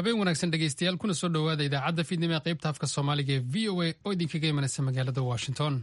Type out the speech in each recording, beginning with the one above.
Habeen wanaagsan, dhegeystayaal, kuna soo dhowaada idaacadda fiidnimo ee qaybta afka Soomaaliga ee VOA oo idinkaga imanaysa magaalada Washington.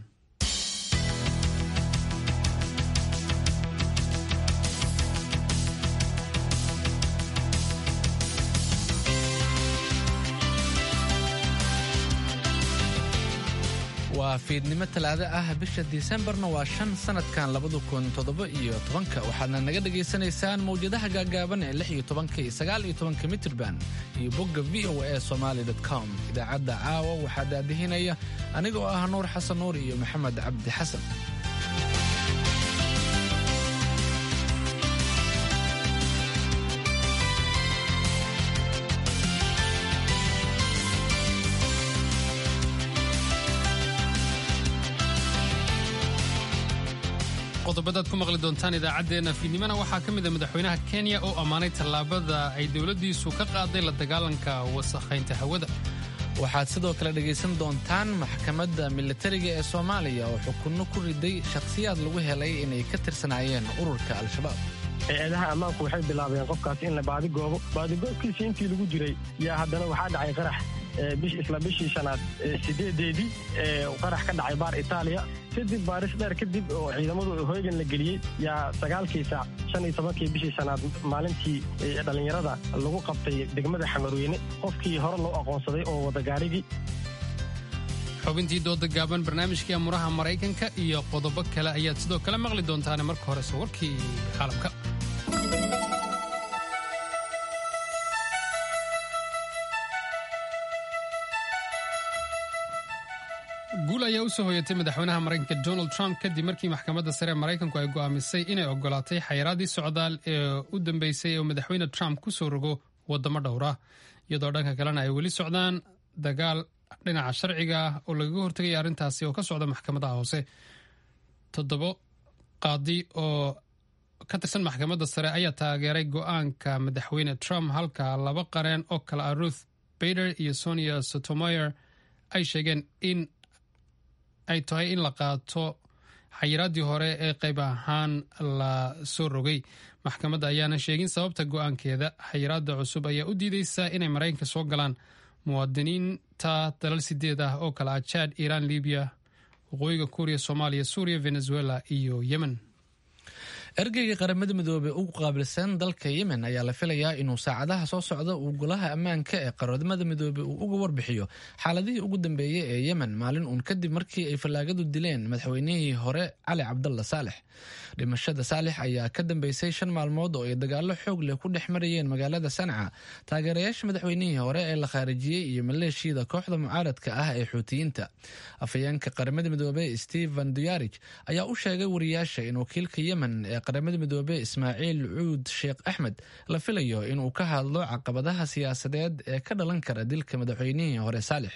Waa fiidnimo Talaado ah, bisha Disembarna waa 5, sanadkan 2017-ka. Waxaadna naga dhagaysanaysaan mawjadaha gaagaaban ee 16-ka iyo 19-ka mitirban iyo bogga VOA Somali com. Idaacadda caawa waxaa daadihinaya aniga oo ah Nuur Xasan Nuur iyo Maxamed Cabdi Xasan. Qodobadaad ku maqli doontaan idaacaddeenna fiidnimona waxaa ka mid a madaxweynaha Kenya oo ammaanay tallaabada ay dowladdiisu ka qaaday la dagaalanka wasakhaynta hawada. Waxaad sidoo kale dhegaysan doontaan maxkamadda militariga ee Soomaaliya oo xukunno ku riday shakhsiyaad lagu helay inay ka tirsanaayeen ururka Al-Shabaab. Hay-adaha ammaanku waxay bilaabeen qofkaasi in la baadigoobo. Baadigoobkiisii intii lagu jiray yaa haddana waxaa dhacay qarax isla bishii shanaad 8-deedii, qarax ka dhacay baar Itaaliya. Kadib baaris dheer kadib oo ciidamadu hoygan la geliyey yaa 9-kii saac 15-kii bishii shanaad maalintii dhallinyarada lagu qabtay degmada Xamarweyne qofkii hore loo aqoonsaday oo wada gaarigii. Xubintii dooda gaaban, barnaamijkii amuraha Maraykanka iyo qodobo kale ayaad sidoo kale maqli doontaane. Marka horese warkii caalamka. Guul ayaa usoo hoyatay madaxweynaha Maraykanka Donald Trump kadib markii maxkamadda sare ee Maraykanku ay go'aamisay inay ogolaatay xayiraadii socdaal ee u dambeysay ee madaxweyne Trump ku soo rogo waddamo dhowra, iyadoo dhanka kalena ay weli socdaan dagaal dhinaca sharciga ah oo lagaga hortegaya arrintaasi oo ka socda maxkamadaha hoose. Toddobo qaadi oo ka tirsan maxkamadda sare ayaa taageeray go'aanka madaxweyne Trump, halka laba qareen oo kale ah, Ruth Bader iyo Sonia Sotomayor, ay sheegeen in ay tahay in la qaato xayiraaddii hore ee qayb ahaan la soo rogay. Maxkamadda ayaana sheegin sababta go'aankeeda. Xayiraadda cusub ayaa u diideysa inay Maraykanka soo galaan muwaadiniinta dalal sideed ah oo kale ah Chad, Iiraan, Libiya, Waqooyiga Kuuriya, Soomaaliya, Suuriya, Venezuela iyo Yemen. Ergeyga Qaramada Midoobey ugu qaabilsan dalka Yemen ayaa la filayaa inuu saacadaha soo socda uu Golaha Ammaanka ee Qaramada Midoobey uu uga warbixiyo xaaladihii ugu dambeeyey ee Yemen, maalin uun kadib markii ay fallaagadu dileen madaxweynihii hore Cali Cabdalla Saalex. Dhimashada Saalex ayaa ka dambeysay 5 maalmood oo ay dagaallo xoog leh ku dhex marayeen magaalada Sanca taageerayaasha madaxweynihii hore ee la khaarijiyey iyo maleeshiyada kooxda mucaaradka ah ee Xuutiyiinta. Afhayeenka Qaramada Midoobey Stephen Dujarric ayaa u sheegay wariyaasha in wakiilka Yemen ee Qaramada Midoobey Ismaaciil Cuud Sheekh Axmed la filayo inuu ka hadlo caqabadaha siyaasadeed ee ka dhalan kara dilka madaxweynihii hore Saalex.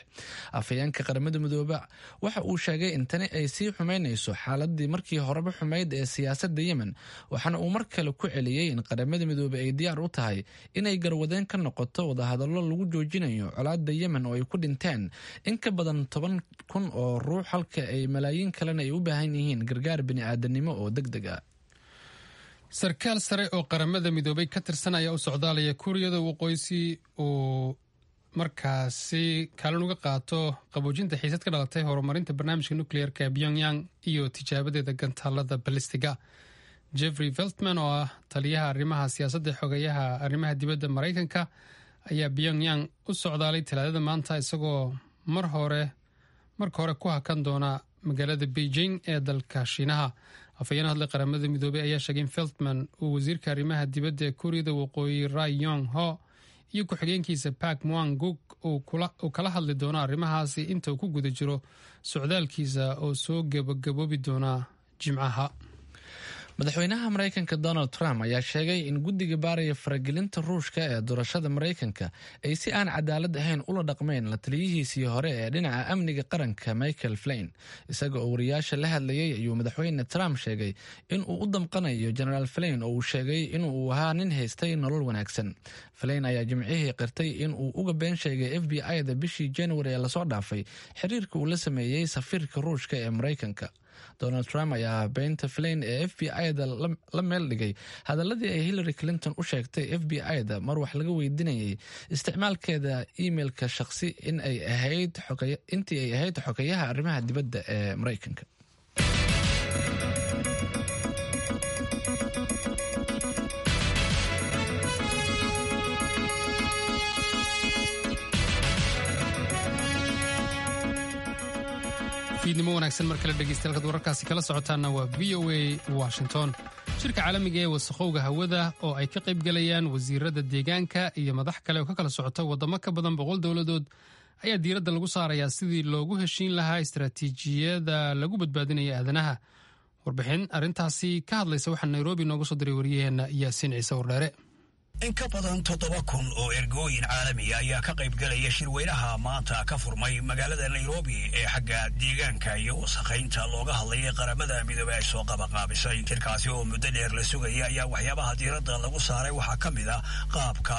Afhayeenka Qaramada Midoobe waxa uu sheegay in tani ay sii xumeynayso xaaladii markii horeba xumayd ee siyaasadda Yemen, waxaana uu mar kale ku celiyey in Qaramada Midoobey ay diyaar u tahay inay garwadeen ka noqoto wadahadallo lagu joojinayo colaada Yemen oo ay ku dhinteen in ka badan 10,000 oo ruux, halka ay malaayiin kalena ay u baahan yihiin gargaar bini'aadanimo oo deg deg ah. Sarkaal sare oo Qaramada Midoobay ka tirsan ayaa u socdaalaya Kuuriyada Waqooyi si uu markaasi kaalin uga qaato qaboojinta xiisad ka dhalatay horumarinta barnaamijka nukliyeerka ee Pyongyang iyo tijaabadeeda gantaalada balistiga. Jeffrey Feltman oo ah taliyaha arrimaha siyaasadda xogayaha arrimaha dibadda Maraykanka ayaa Pyongyang u socdaalay Talaadada maanta, isagoo mar hore marka hore ku hakan doona magaalada Beijing ee dalka Shiinaha. Afhayeen hadlay Qaramada Midoobey ayaa sheegay in Feltman uu wasiirka arrimaha dibadda ee Kuuriyada Waqooyi Ri Yong Ho iyo ku-xigeenkiisa Park Mwang Guk uu kala hadli doono arrimahaasi inta uu ku guda jiro socdaalkiisa oo soo gabagaboobi doona Jimcaha. Madaxweynaha Maraykanka Donald Trump ayaa sheegay in guddiga baaraya faragelinta Ruushka ee doorashada Maraykanka ay si aan cadaalad ahayn ula dhaqmeen la taliyihiisii hore ee dhinaca amniga qaranka Michael Flynn. Isaga oo wariyaasha la hadlayay ayuu madaxweyne Trump sheegay in uu u damqanayo Genaraal Flynn, oo uu sheegay inuu ahaa nin haystay nolol wanaagsan. Flynn ayaa Jimcihii qirtay in uu uga been sheegay FBI da bishii January ee lasoo dhaafay xiriirka uu la sameeyey safiirka Ruushka ee Maraykanka. Donald Trump ayaa beynta filayn ee F B I-da la meel dhigay hadaladii ay Hillary Clinton u sheegtay F B I-da mar wax laga weydiinayay isticmaalkeeda emailka shaqsi intii ay ahayd xogeyaha arrimaha dibadda ee Maraykanka. Fiidnimo wanaagsan mar kale dhegeystayaal, kad wararkaasi kala socotaanna waa V O A Washington. Shirka caalamiga ee wasakhowga hawada oo ay ka qaybgalayaan wasiirada deegaanka iyo madax kale oo ka kala socota waddamo ka badan 100 dowladood ayaa diiradda lagu saarayaa sidii loogu heshiin lahaa istaraatiijiyada lagu badbaadinaya aadanaha. Warbixin arrintaasi ka hadlaysa waxaa Nairobi nooga soo diray wariyaheenna Yaasiin Ciise Wardheere. In ka badan 7000 oo ergooyin caalamiya ayaa ka qayb galaya shirweynaha maanta ka furmay magaalada Nairobi ee xagga deegaanka iyo wasakhaynta looga hadlayay Qaramada Midoobey ay soo qabaqaabisay. Shirkaasi oo muddo dheer la sugaya ayaa waxyaabaha diiradda lagu saaray waxaa ka mid ah qaabka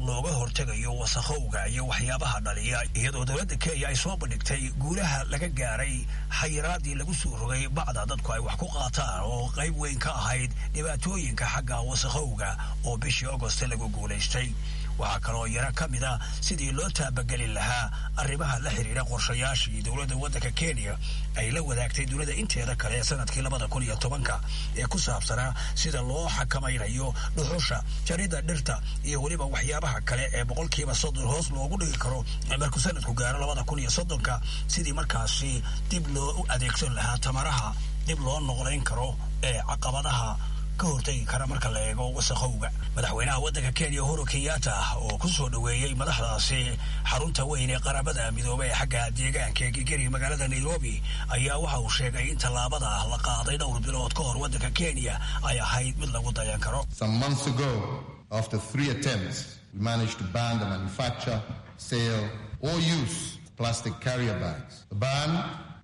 looga hortegayo wasakhowga iyo waxyaabaha dhaliya, iyadoo dowladda Kenya ay soo bandhigtay guulaha laga gaaray xayiraadii lagu soo rogay bacda dadku ay wax ku qaataan oo qayb weyn ka ahayd dhibaatooyinka xagga wasakhowga oo bishii Agost lagu guulaystay. Waxaa kaloo yaro ka mid ah sidii loo taabagelin lahaa arrimaha la xiriira qorshayaashii dowladda waddanka Kenya ay la wadaagtay dunida inteeda kale sanadkii 2010-ka ee ku saabsanaa sida loo xakamaynayo dhuxusha, jaridda dhirta iyo weliba waxyaabaha kale ee 30% hoos loogu dhigi karo markuu sanadku gaaro 2030-ka, sidii markaasi dib loo adeegsan lahaa tamaraha dib loo noqdayn karo ee caqabadaha ka hortegi kara marka la eego wasakhowga. Madaxweynaha waddanka Kenya Uhuru Kenyatta oo ku soo dhoweeyey madaxdaasi xarunta weyn ee Qaramada Midoobey ee xagga deegaanka ee Gigeri magaalada Nairobi ayaa waxa uu sheegay in tallaabada la qaaday dhowr bilood ka hor waddanka Kenya ay ahayd mid lagu dayan karo. Some months ago, after three attempts, we managed to ban the manufacture, sale or use of plastic carrier bags. The ban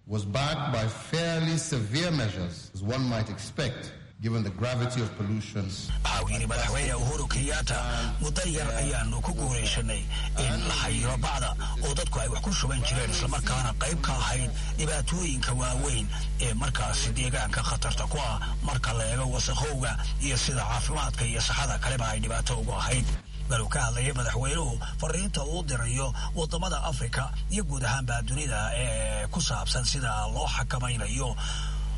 was backed by fairly severe measures, as one might expect, given the gravity of pollution. Waxa uu yidhi madaxweyne Uhuru Kenyatta, muddo yar ayaanu ku guulaysanay in la xayiro bacda oo dadku ay wax ku shuban jireen, islamarkaana qayb ka ahayd dhibaatooyinka waaweyn ee markaasi deegaanka khatarta ku ah marka la eego wasakhowga iyo sida caafimaadka iyo saxada kaleba ay dhibaato ugu ahayd. Baluu ka hadlayay madaxweynuhu fariinta uu dirayo waddamada Afrika iyo guud ahaanba dunida ee ku saabsan sida loo xakamaynayo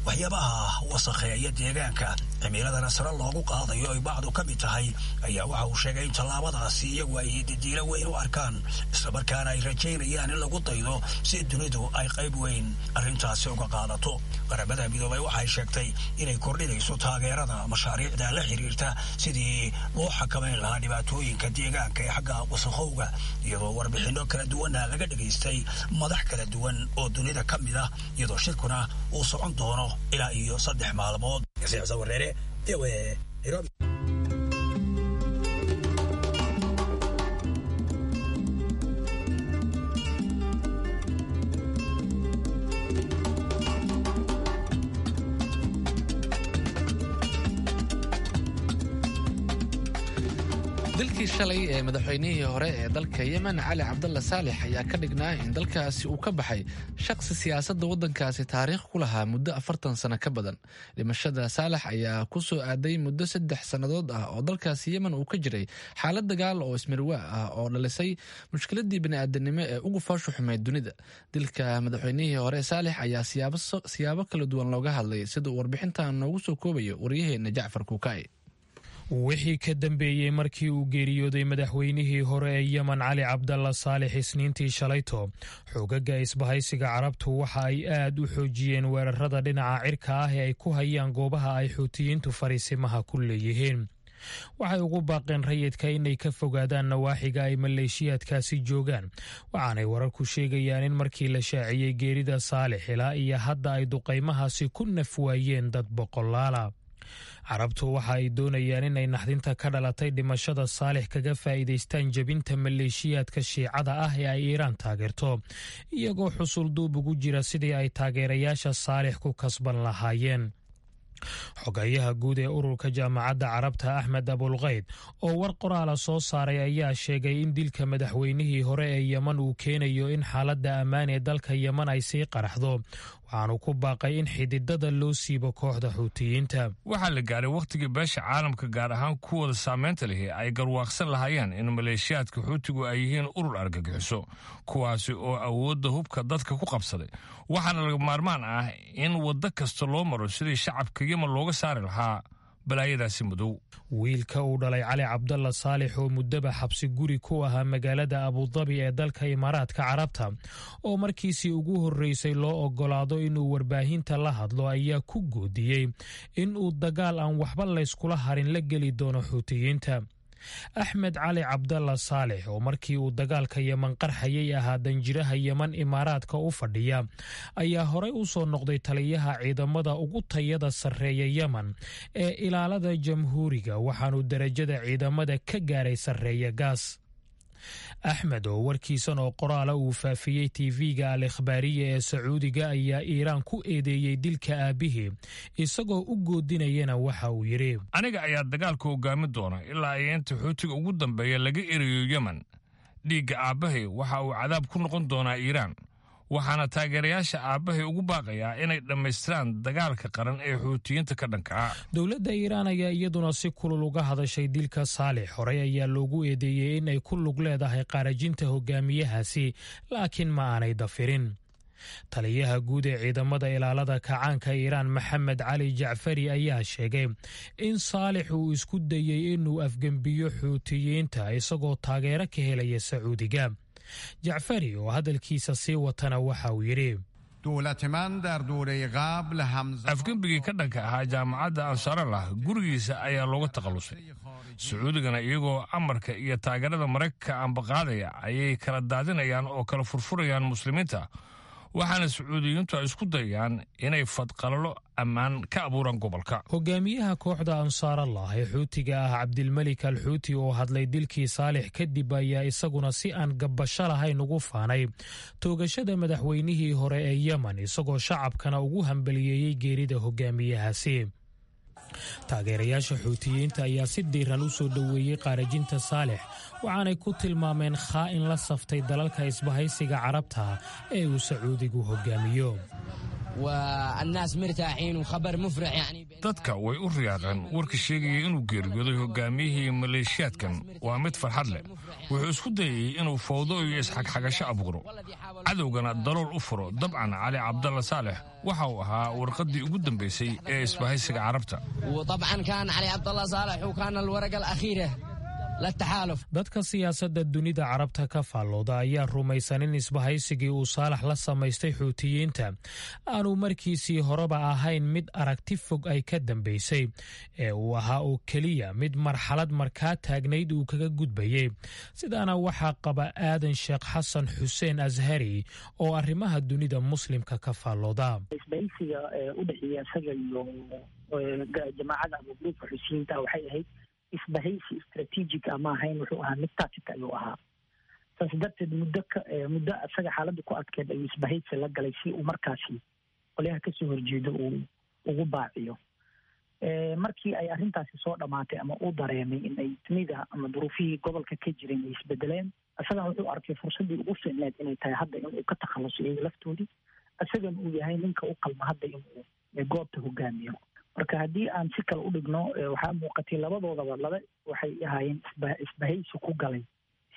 waxyaabaha wasakheeya deegaanka, cimiladana sare loogu qaadayo ay bacdu ka mid tahay, ayaa waxa uu sheegay in tallaabadaasi iyagu ay didiilo weyn u arkaan, islamarkaana ay rajaynayaan in lagu daydo si dunidu ay qayb weyn arrintaasi uga qaadato. Qaramada Midoobay waxay sheegtay inay kordhinayso taageerada mashaariicda la xiriirta sidii loo xakamayn lahaa dhibaatooyinka deegaanka ee xagga wasakhowga, iyadoo warbixinno kala duwanna laga dhegaystay madax kala duwan oo dunida ka mid ah, iyadoo shirkuna uu socon doono ilaa iyo 3 maalmood. Wareere, Nairobi. Dilkii shalay ee madaxweynihii hore ee dalka Yemen Cali Cabdalla Saalix ayaa ka dhignaa in dalkaasi uu ka baxay shaqsi siyaasadda waddankaasi taariikh ku lahaa muddo 40 sano ka badan. Dhimashada Saalax ayaa ku soo aaday muddo 3 sannadood ah oo dalkaasi Yemen uu ka jiray xaalad dagaal oo ismirwaa ah oo dhalisay mushkiladii bini'aadanimo ee ugu foosha xumeyd dunida. Dilka madaxweynihii hore Saalix ayaa siyaabo kala duwan looga hadlay, sida uu warbixintan noogu soo koobayo waryaheena Jacfar Kuukaa'i. Wixii ka dambeeyey markii uu geeriyooday madaxweynihii hore ee Yemen Cali Cabdalla Saalix isniintii shalayto, xoogaga isbahaysiga Carabtu waxa ay aad u xoojiyeen weerarada dhinaca cirka ah ee ay ku hayaan goobaha ay Xuutiyiintu fariisimaha ku leeyihiin. Waxay ugu baaqeen rayidka inay ka fogaadaan nawaaxiga ay maleeshiyaadkaasi joogaan, waxaanay wararku sheegayaan in markii la shaaciyey geerida Saalix ilaa iyo hadda ay duqaymahaasi ku naf waayeen dad boqolaala. Carabtu waxa ay doonayaan inay naxdinta ka dhalatay dhimashada Saalix kaga faa'iidaystaan jebinta maleeshiyaadka Shiicada ah ee ay Iiraan taageerto, iyagoo xusul duub ugu jira sidii ay taageerayaasha Saalix ku kasban lahaayeen. Xogayaha guud ee ururka Jaamacadda Carabta Axmed Abulkayd oo war qoraala soo saaray ayaa sheegay in dilka madaxweynihii hore ee Yeman uu keenayo in xaaladda ammaan ee dalka Yeman ay sii qaraxdo, Waxaanu ku baaqay in xididada loo siibo kooxda Xuutiyiinta. Waxaa la gaaray wakhtigii beesha caalamka, gaar ahaan kuwooda saameynta lihi, ay garwaaqsan lahaayeen in maleeshiyaadka Xuutigu ay yihiin urur argagixiso, kuwaasi oo awoodda hubka dadka ku qabsaday. Waxaana laga maarmaan ah in waddo kasta loo maro sidii shacabka Yemen looga saari lahaa balaayadaasi madow. Wiilka uu dhalay Cali Cabdalla Saalix, oo muddaba xabsi guri ku ahaa magaalada Abudabi ee dalka Imaaraadka Carabta, oo markiisii ugu horreysay loo ogolaado inuu warbaahinta la hadlo, ayaa ku goodiyey in uu dagaal aan waxba layskula harin la geli doono Xuutiyiinta. Axmed Cali Cabdalla Saalix, oo markii uu dagaalka Yeman qarxayay ahaa danjiraha Yeman Imaaraadka u fadhiya, ayaa horey u soo noqday taliyaha ciidamada ugu tayada sarreeya Yemen ee Ilaalada Jamhuuriga, waxaanuu derajada ciidamada ka gaaray sarreeya gaas. Axmed, oo warkiisan oo qoraala uu faafiyey TV-ga Al Ikhbaariya ee Sacuudiga, ayaa Iiraan ku eedeeyey dilka aabbihii, isagoo u goodinayana waxa uu yidhi: Aniga ayaa dagaalka hogaamin doona ilaa ay inta Xuutiga ugu dambeeya laga erayo Yemen. Dhiigga aabbahay waxa uu cadaab ku noqon doonaa Iiraan, waxaana taageerayaasha aabbahay ugu baaqayaa inay dhammaystiraan dagaalka qaran ee Xuutiyiinta ka dhanka ah. Dowladda Iiraan ayaa iyaduna si kulul uga hadashay dilka Saalix. Horey ayaa loogu eedeeyey in ay ku lug leedahay qaarajinta hogaamiyahaasi, laakiin ma aanay dafirin. Taliyaha guud ee ciidamada Ilaalada Kacaanka Iiraan, Maxamed Cali Jacfari, ayaa sheegay in Saalix uu isku dayey inuu afgembiyo Xuutiyiinta isagoo taageero ka helaya Sacuudiga. Jacfari oo hadalkiisa sii watana waxa uu yidhi: Afgembigii ka dhanka ahaa jaamacadda Ansaarallah gurigiisa ayaa looga takhallusay. Sacuudigana iyagoo amarka iyo taageerada Maraykanka ambaqaadaya ayay kala daadinayaan oo kala furfurayaan Muslimiinta, waxaana Sacuudiyiintu ay isku dayayaan inay fadqalalo ammaan ka abuuraan gobolka. Hogaamiyaha kooxda Ansaarallah ee Xuutiga ah, Cabdilmelik al Xuuti, oo hadlay dilkii Saalix kadib, ayaa isaguna si aan gabbasho lahayn ugu faanay toogashada madaxweynihii hore ee Yemen, isagoo shacabkana ugu hambaliyeeyey geerida hogaamiyahaasi. Taageerayaasha Xuutiyiinta ayaa si diiran u soo dhoweeyey qaarajinta Saalix, waxaanay ku tilmaameen khaa'in la saftay dalalka Isbahaysiga Carabta ee uu Sacuudigu hogaamiyo. Dadka way u riyaaqeen warka sheegaya inuu geeriyooday hogaamiyihii maleeshiyaadkan. Waa mid farxad leh. Wuxuu isku dayayey inuu fowdo iyo isxagxagasho abuuro, cadowgana dalool u furo. Dabcan Cali Cabdalla Saalex waxa uu ahaa warqaddii ugu dambaysay ee Isbahaysiga Carabta. Dadka siyaasadda dunida Carabta ka faallooda ayaa rumaysan in isbahaysigii uu Saalax la samaystay Xuutiyiinta aanu markiisii horeba ahayn mid aragti fog ay ka dambaysay, ee uu ahaa oo keliya mid marxalad markaa taagnayd uu kaga gudbayay. Sidaana waxaa qaba Aadan Sheekh Xasan Xuseen Ashari, oo arrimaha dunida Muslimka ka faallooda. Isbahaysiga u dhexeeya isaga iyo jamaacada ama gruubka Xusiyiinta waxay ahayd isbahaysi strategic ama ahayn, wuxuu ahaa mid tactic ayuu ahaa. Saas darteed muddo isaga xaaladda ku adkeed ayuu isbahaysi la galay si uu markaasi qolyaha kasoo horjeedo uu ugu baaciyo. Markii ay arrintaasi soo dhammaatay ama uu dareemay in ay dunida ama duruufihii gobolka ka jireen ay isbedeleen, isagan wuxuu arkay fursaddii ugu fiicneed inay tahay hadda inuu ka takhaluso iyaga laftoodii, isagan uu yahay ninka u qalma hadda inuu goobta hogaamiyo. Marka haddii aan si kale u dhigno, waxaa muuqatay labadoodaba laba waxay ahaayeen isbahaysi ku galay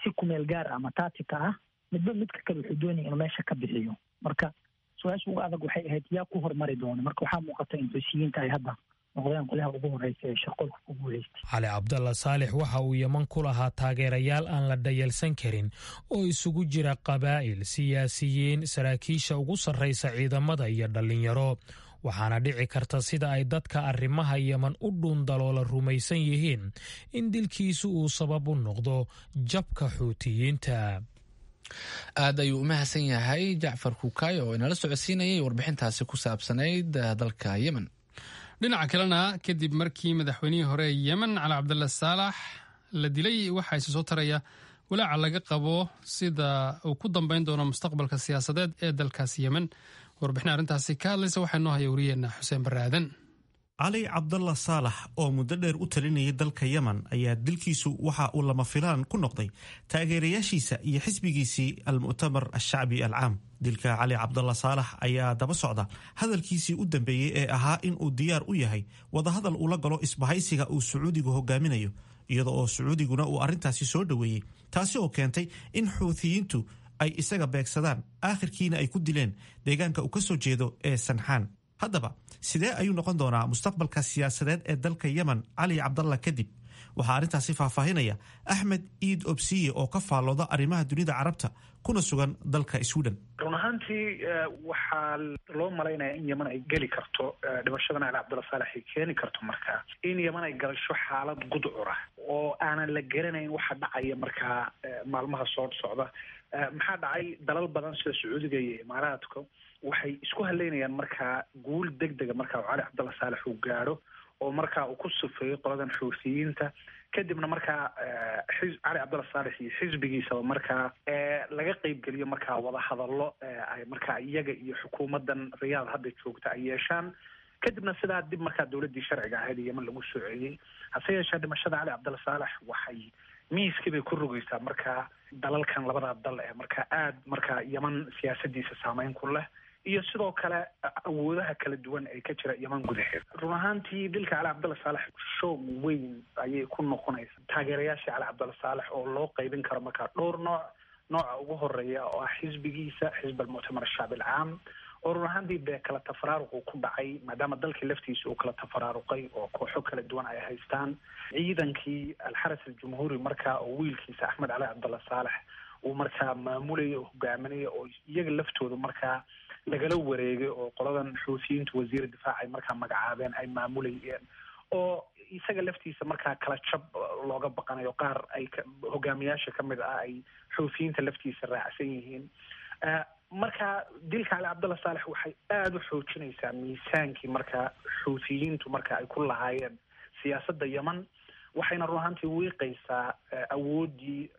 si kumeel gaar ama taatika ah, midba midka kale wuxuu doonaya inuu meesha ka bixiyo. Marka su-aasha ugu adag waxay ahayd yaa ku hormari doona. Marka waxaa muuqata in Xusiyiinta ay hadda noqdeen qolyaha ugu horeysa ee shaqolka ku guuleystay. Cali Cabdalla Saalix waxa uu Yeman ku lahaa taageerayaal aan la dhayalsan karin oo isugu jira qabaa'il, siyaasiyiin, saraakiisha ugu sarraysa ciidamada iyo dhallinyaro, waxaana dhici karta, sida ay dadka arrimaha Yeman u dhuundaloola rumaysan yihiin, in dilkiisu uu sabab u noqdo jabka Xuutiyiinta. Aad ayuu u mahadsan yahay Jacfar Kuukaayo oo inala socodsiinayay warbixintaasi ku saabsanayd dalka Yemen. Dhinaca kalena, kadib markii madaxweynihii hore ee Yemen Cali Cabdalla Saalax la dilay, waxaa isa soo taraya walaaca laga qabo sida uu ku dambeyn doono mustaqbalka siyaasadeed ee dalkaasi Yemen. Warbixin arrintaasi ka hadlaysa waxaa noo haya wariyeenna Xuseen Barre Aadan. Cali Cabdalla Saalax oo muddo dheer u talinayay dalka Yemen ayaa dilkiisu waxa uu lama filaan ku noqday taageerayaashiisa iyo xisbigiisii Almu'tamar Alshacbi Alcaam. Dilka Cali Cabdalla Saalax ayaa daba socda hadalkiisii u dambeeyey ee ahaa in uu diyaar u yahay wadahadal ula galo isbahaysiga uu Sacuudigu hogaaminayo, iyada oo Sacuudiguna uu arrintaasi soo dhoweeyey, taasi oo keentay in Xuuthiyiintu ay isaga beegsadaan, aakhirkiina ay ku dileen deegaanka uu ka soo jeedo ee Sanxaan. Haddaba, sidee ayuu noqon doonaa mustaqbalka siyaasadeed ee dalka Yemen Cali Cabdalla kadib? Waxaa arrintaasi faahfaahinaya Axmed Iid Obsiye oo ka faallooda arrimaha dunida Carabta kuna sugan dalka Sweden. Run ahaantii, waxaa loo malaynayaa in Yeman ay geli karto, dhimashadan Cali Cabdulla Saalex ay keeni karto markaa in Yeman ay galasho xaalad gudcura oo aanan la garanayn waxa dhacaya markaa maalmaha soo socda. Maxaa dhacay? Dalal badan sida Sacuudiga iyo Imaaraadka waxay isku haleynayaan markaa guul degdega markaa Cali Cabdulla Saalex uu gaadho oo markaa uu ku sufeeyo qoladan Xuuthiyiinta, kadibna markaa Cali Cabdulla Saalex iyo xisbigiisaba markaa laga qeybgeliyo markaa wadahadallo ay markaa iyaga iyo xukuumaddan Riyaad hadda joogta ay yeeshaan, kadibna sidaa dib markaa dowladdii sharciga ahayd Yeman lagu soo celiyey. Hase yeeshee, dhimashada Cali Cabdulla Saalex waxay miiskii bay ku rogeysaa markaa dalalkan, labadaa dal ee markaa aad markaa Yeman siyaasadiisa saameyn ku leh, iyo sidoo kale awoodaha kala duwan ee ka jira Yeman gudaheeda. Run ahaantii, dilka Cali Cabdulla Saalex shoog weyn ayay ku noqonaysa taageerayaashii Cali Cabdulla Saalex oo loo qaybin karo markaa dhowr nooc. Nooca ugu horeeya oo ah xisbigiisa, Xisb Almuctamar Ashacbi Alcaam, oo run ahaantii dee kala tafaraaruqu ku dhacay, maadaama dalkii laftiisa uu kala tafaraaruqay oo kooxo kala duwan ay haystaan. Ciidankii Alxaras Aljumhuuri markaa oo wiilkiisa Axmed Cali Cabdulla Saalex uu markaa maamulaya oo hogaaminaya, oo iyaga laftooda markaa lagala wareegay oo qoladan Xuuthiyiintu wasiir difaac ay markaa magacaabeen ay maamulayeen, oo isaga laftiisa markaa kala jab looga baqanayo, qaar ay hogaamiyaasha ka mid ah ay Xuuthiyiinta laftiisa raacsan yihiin. Marka dilka Cali Cabdulla Saalex waxay aada u xoojinaysaa miisaankii markaa Xuuthiyiintu marka ay ku lahaayeen siyaasadda Yeman, waxayna run ahaantii wiiqaysaa awooddii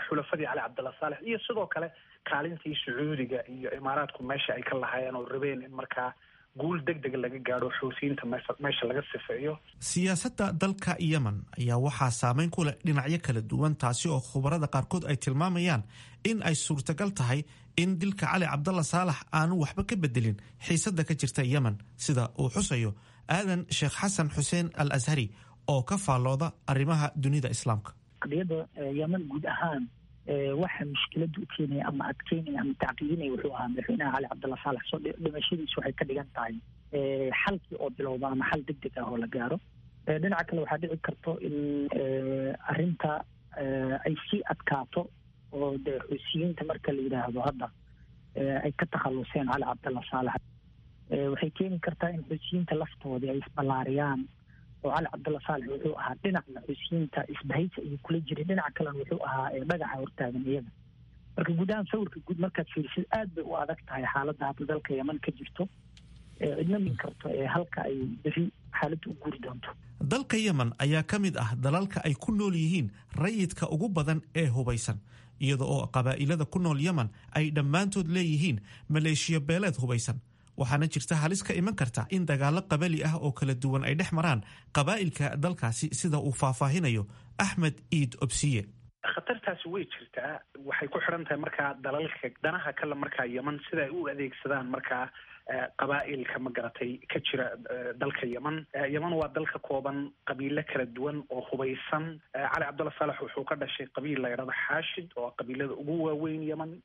xulafadii Cali Cabdulla Saalex iyo sidoo kale kaalintii Sacuudiga iyo Imaaraadku meesha ay ka lahaayeen oo rabeen in markaa guul deg dega laga gaadho, Xuuthiyiinta meesha laga sifeeyo. Siyaasadda dalka Yemen ayaa waxaa saameyn ku leh dhinacyo kala duwan, taasi oo khubarada qaarkood ay tilmaamayaan in ay suurtagal tahay in dilka Cali Cabdalla Saalax aanu waxba ka bedelin xiisadda ka jirta Yemen, sida uu xusayo Aadan Sheekh Xasan Xuseen Al Ashari oo ka faallooda arrimaha dunida Islaamka. Qadiyadda Yemen guud ahaan waxa mushkiladda u keenaya ama adkeynaya ama tacqiidinaya wuxuu ahaa madaxweynaha Cali Cabdulla Saalax. Soo dhimashadiisu waxay ka dhigan tahay xalkii oo bilowda ama xal deg deg ah oo la gaaro. Dhinaca kale, waxaa dhici karto in arrinta ay sii adkaato oo dee Xuusiyiinta marka la yidhaahdo hadda ay ka takhaluseen Cali Cabdulla Saalax, waxay keeni kartaa in Xuusiyiinta laftoodii ay isballaariyaan, oo Cali Cabdulla Saalex wuxuu ahaa dhinacna Xuusiyiinta isbahaysi ayuu kula jiray, dhinaca kalena wuxuu ahaa dhagaxa hortaagan iyaga. Marka guud ahaan sawirka guud markaad fiirisid, aad bay u adag tahay xaaladda hadda dalka Yeman ka jirto. Cidna min karto ee halka ay beri xaaladda u guuri doonto. Dalka Yemen ayaa ka mid ah dalalka ay ku nool yihiin rayidka ugu badan ee hubaysan, iyada oo qabaa'ilada ku nool Yemen ay dhammaantood leeyihiin maleeshiyo beeleed hubaysan, waxaana jirta halis ka iman karta in dagaallo qabali ah oo kala duwan ay dhex maraan qabaa'ilka dalkaasi, sida uu faahfaahinayo Axmed Iid Obsiye. Khatartaasi way jirtaa. Waxay ku xidhan tahay markaa dalalka danaha kale markaa Yeman sida ay u adeegsadaan markaa qabaa'ilka, ma garatay, ka jira dalka Yeman. Yeman waa dal ka kooban qabiilo kala duwan oo hubaysan. Cali Cabdulla Saalex wuxuu ka dhashay qabiil la yidhahdo Xaashid oo qabiilada ugu waaweyn Yeman.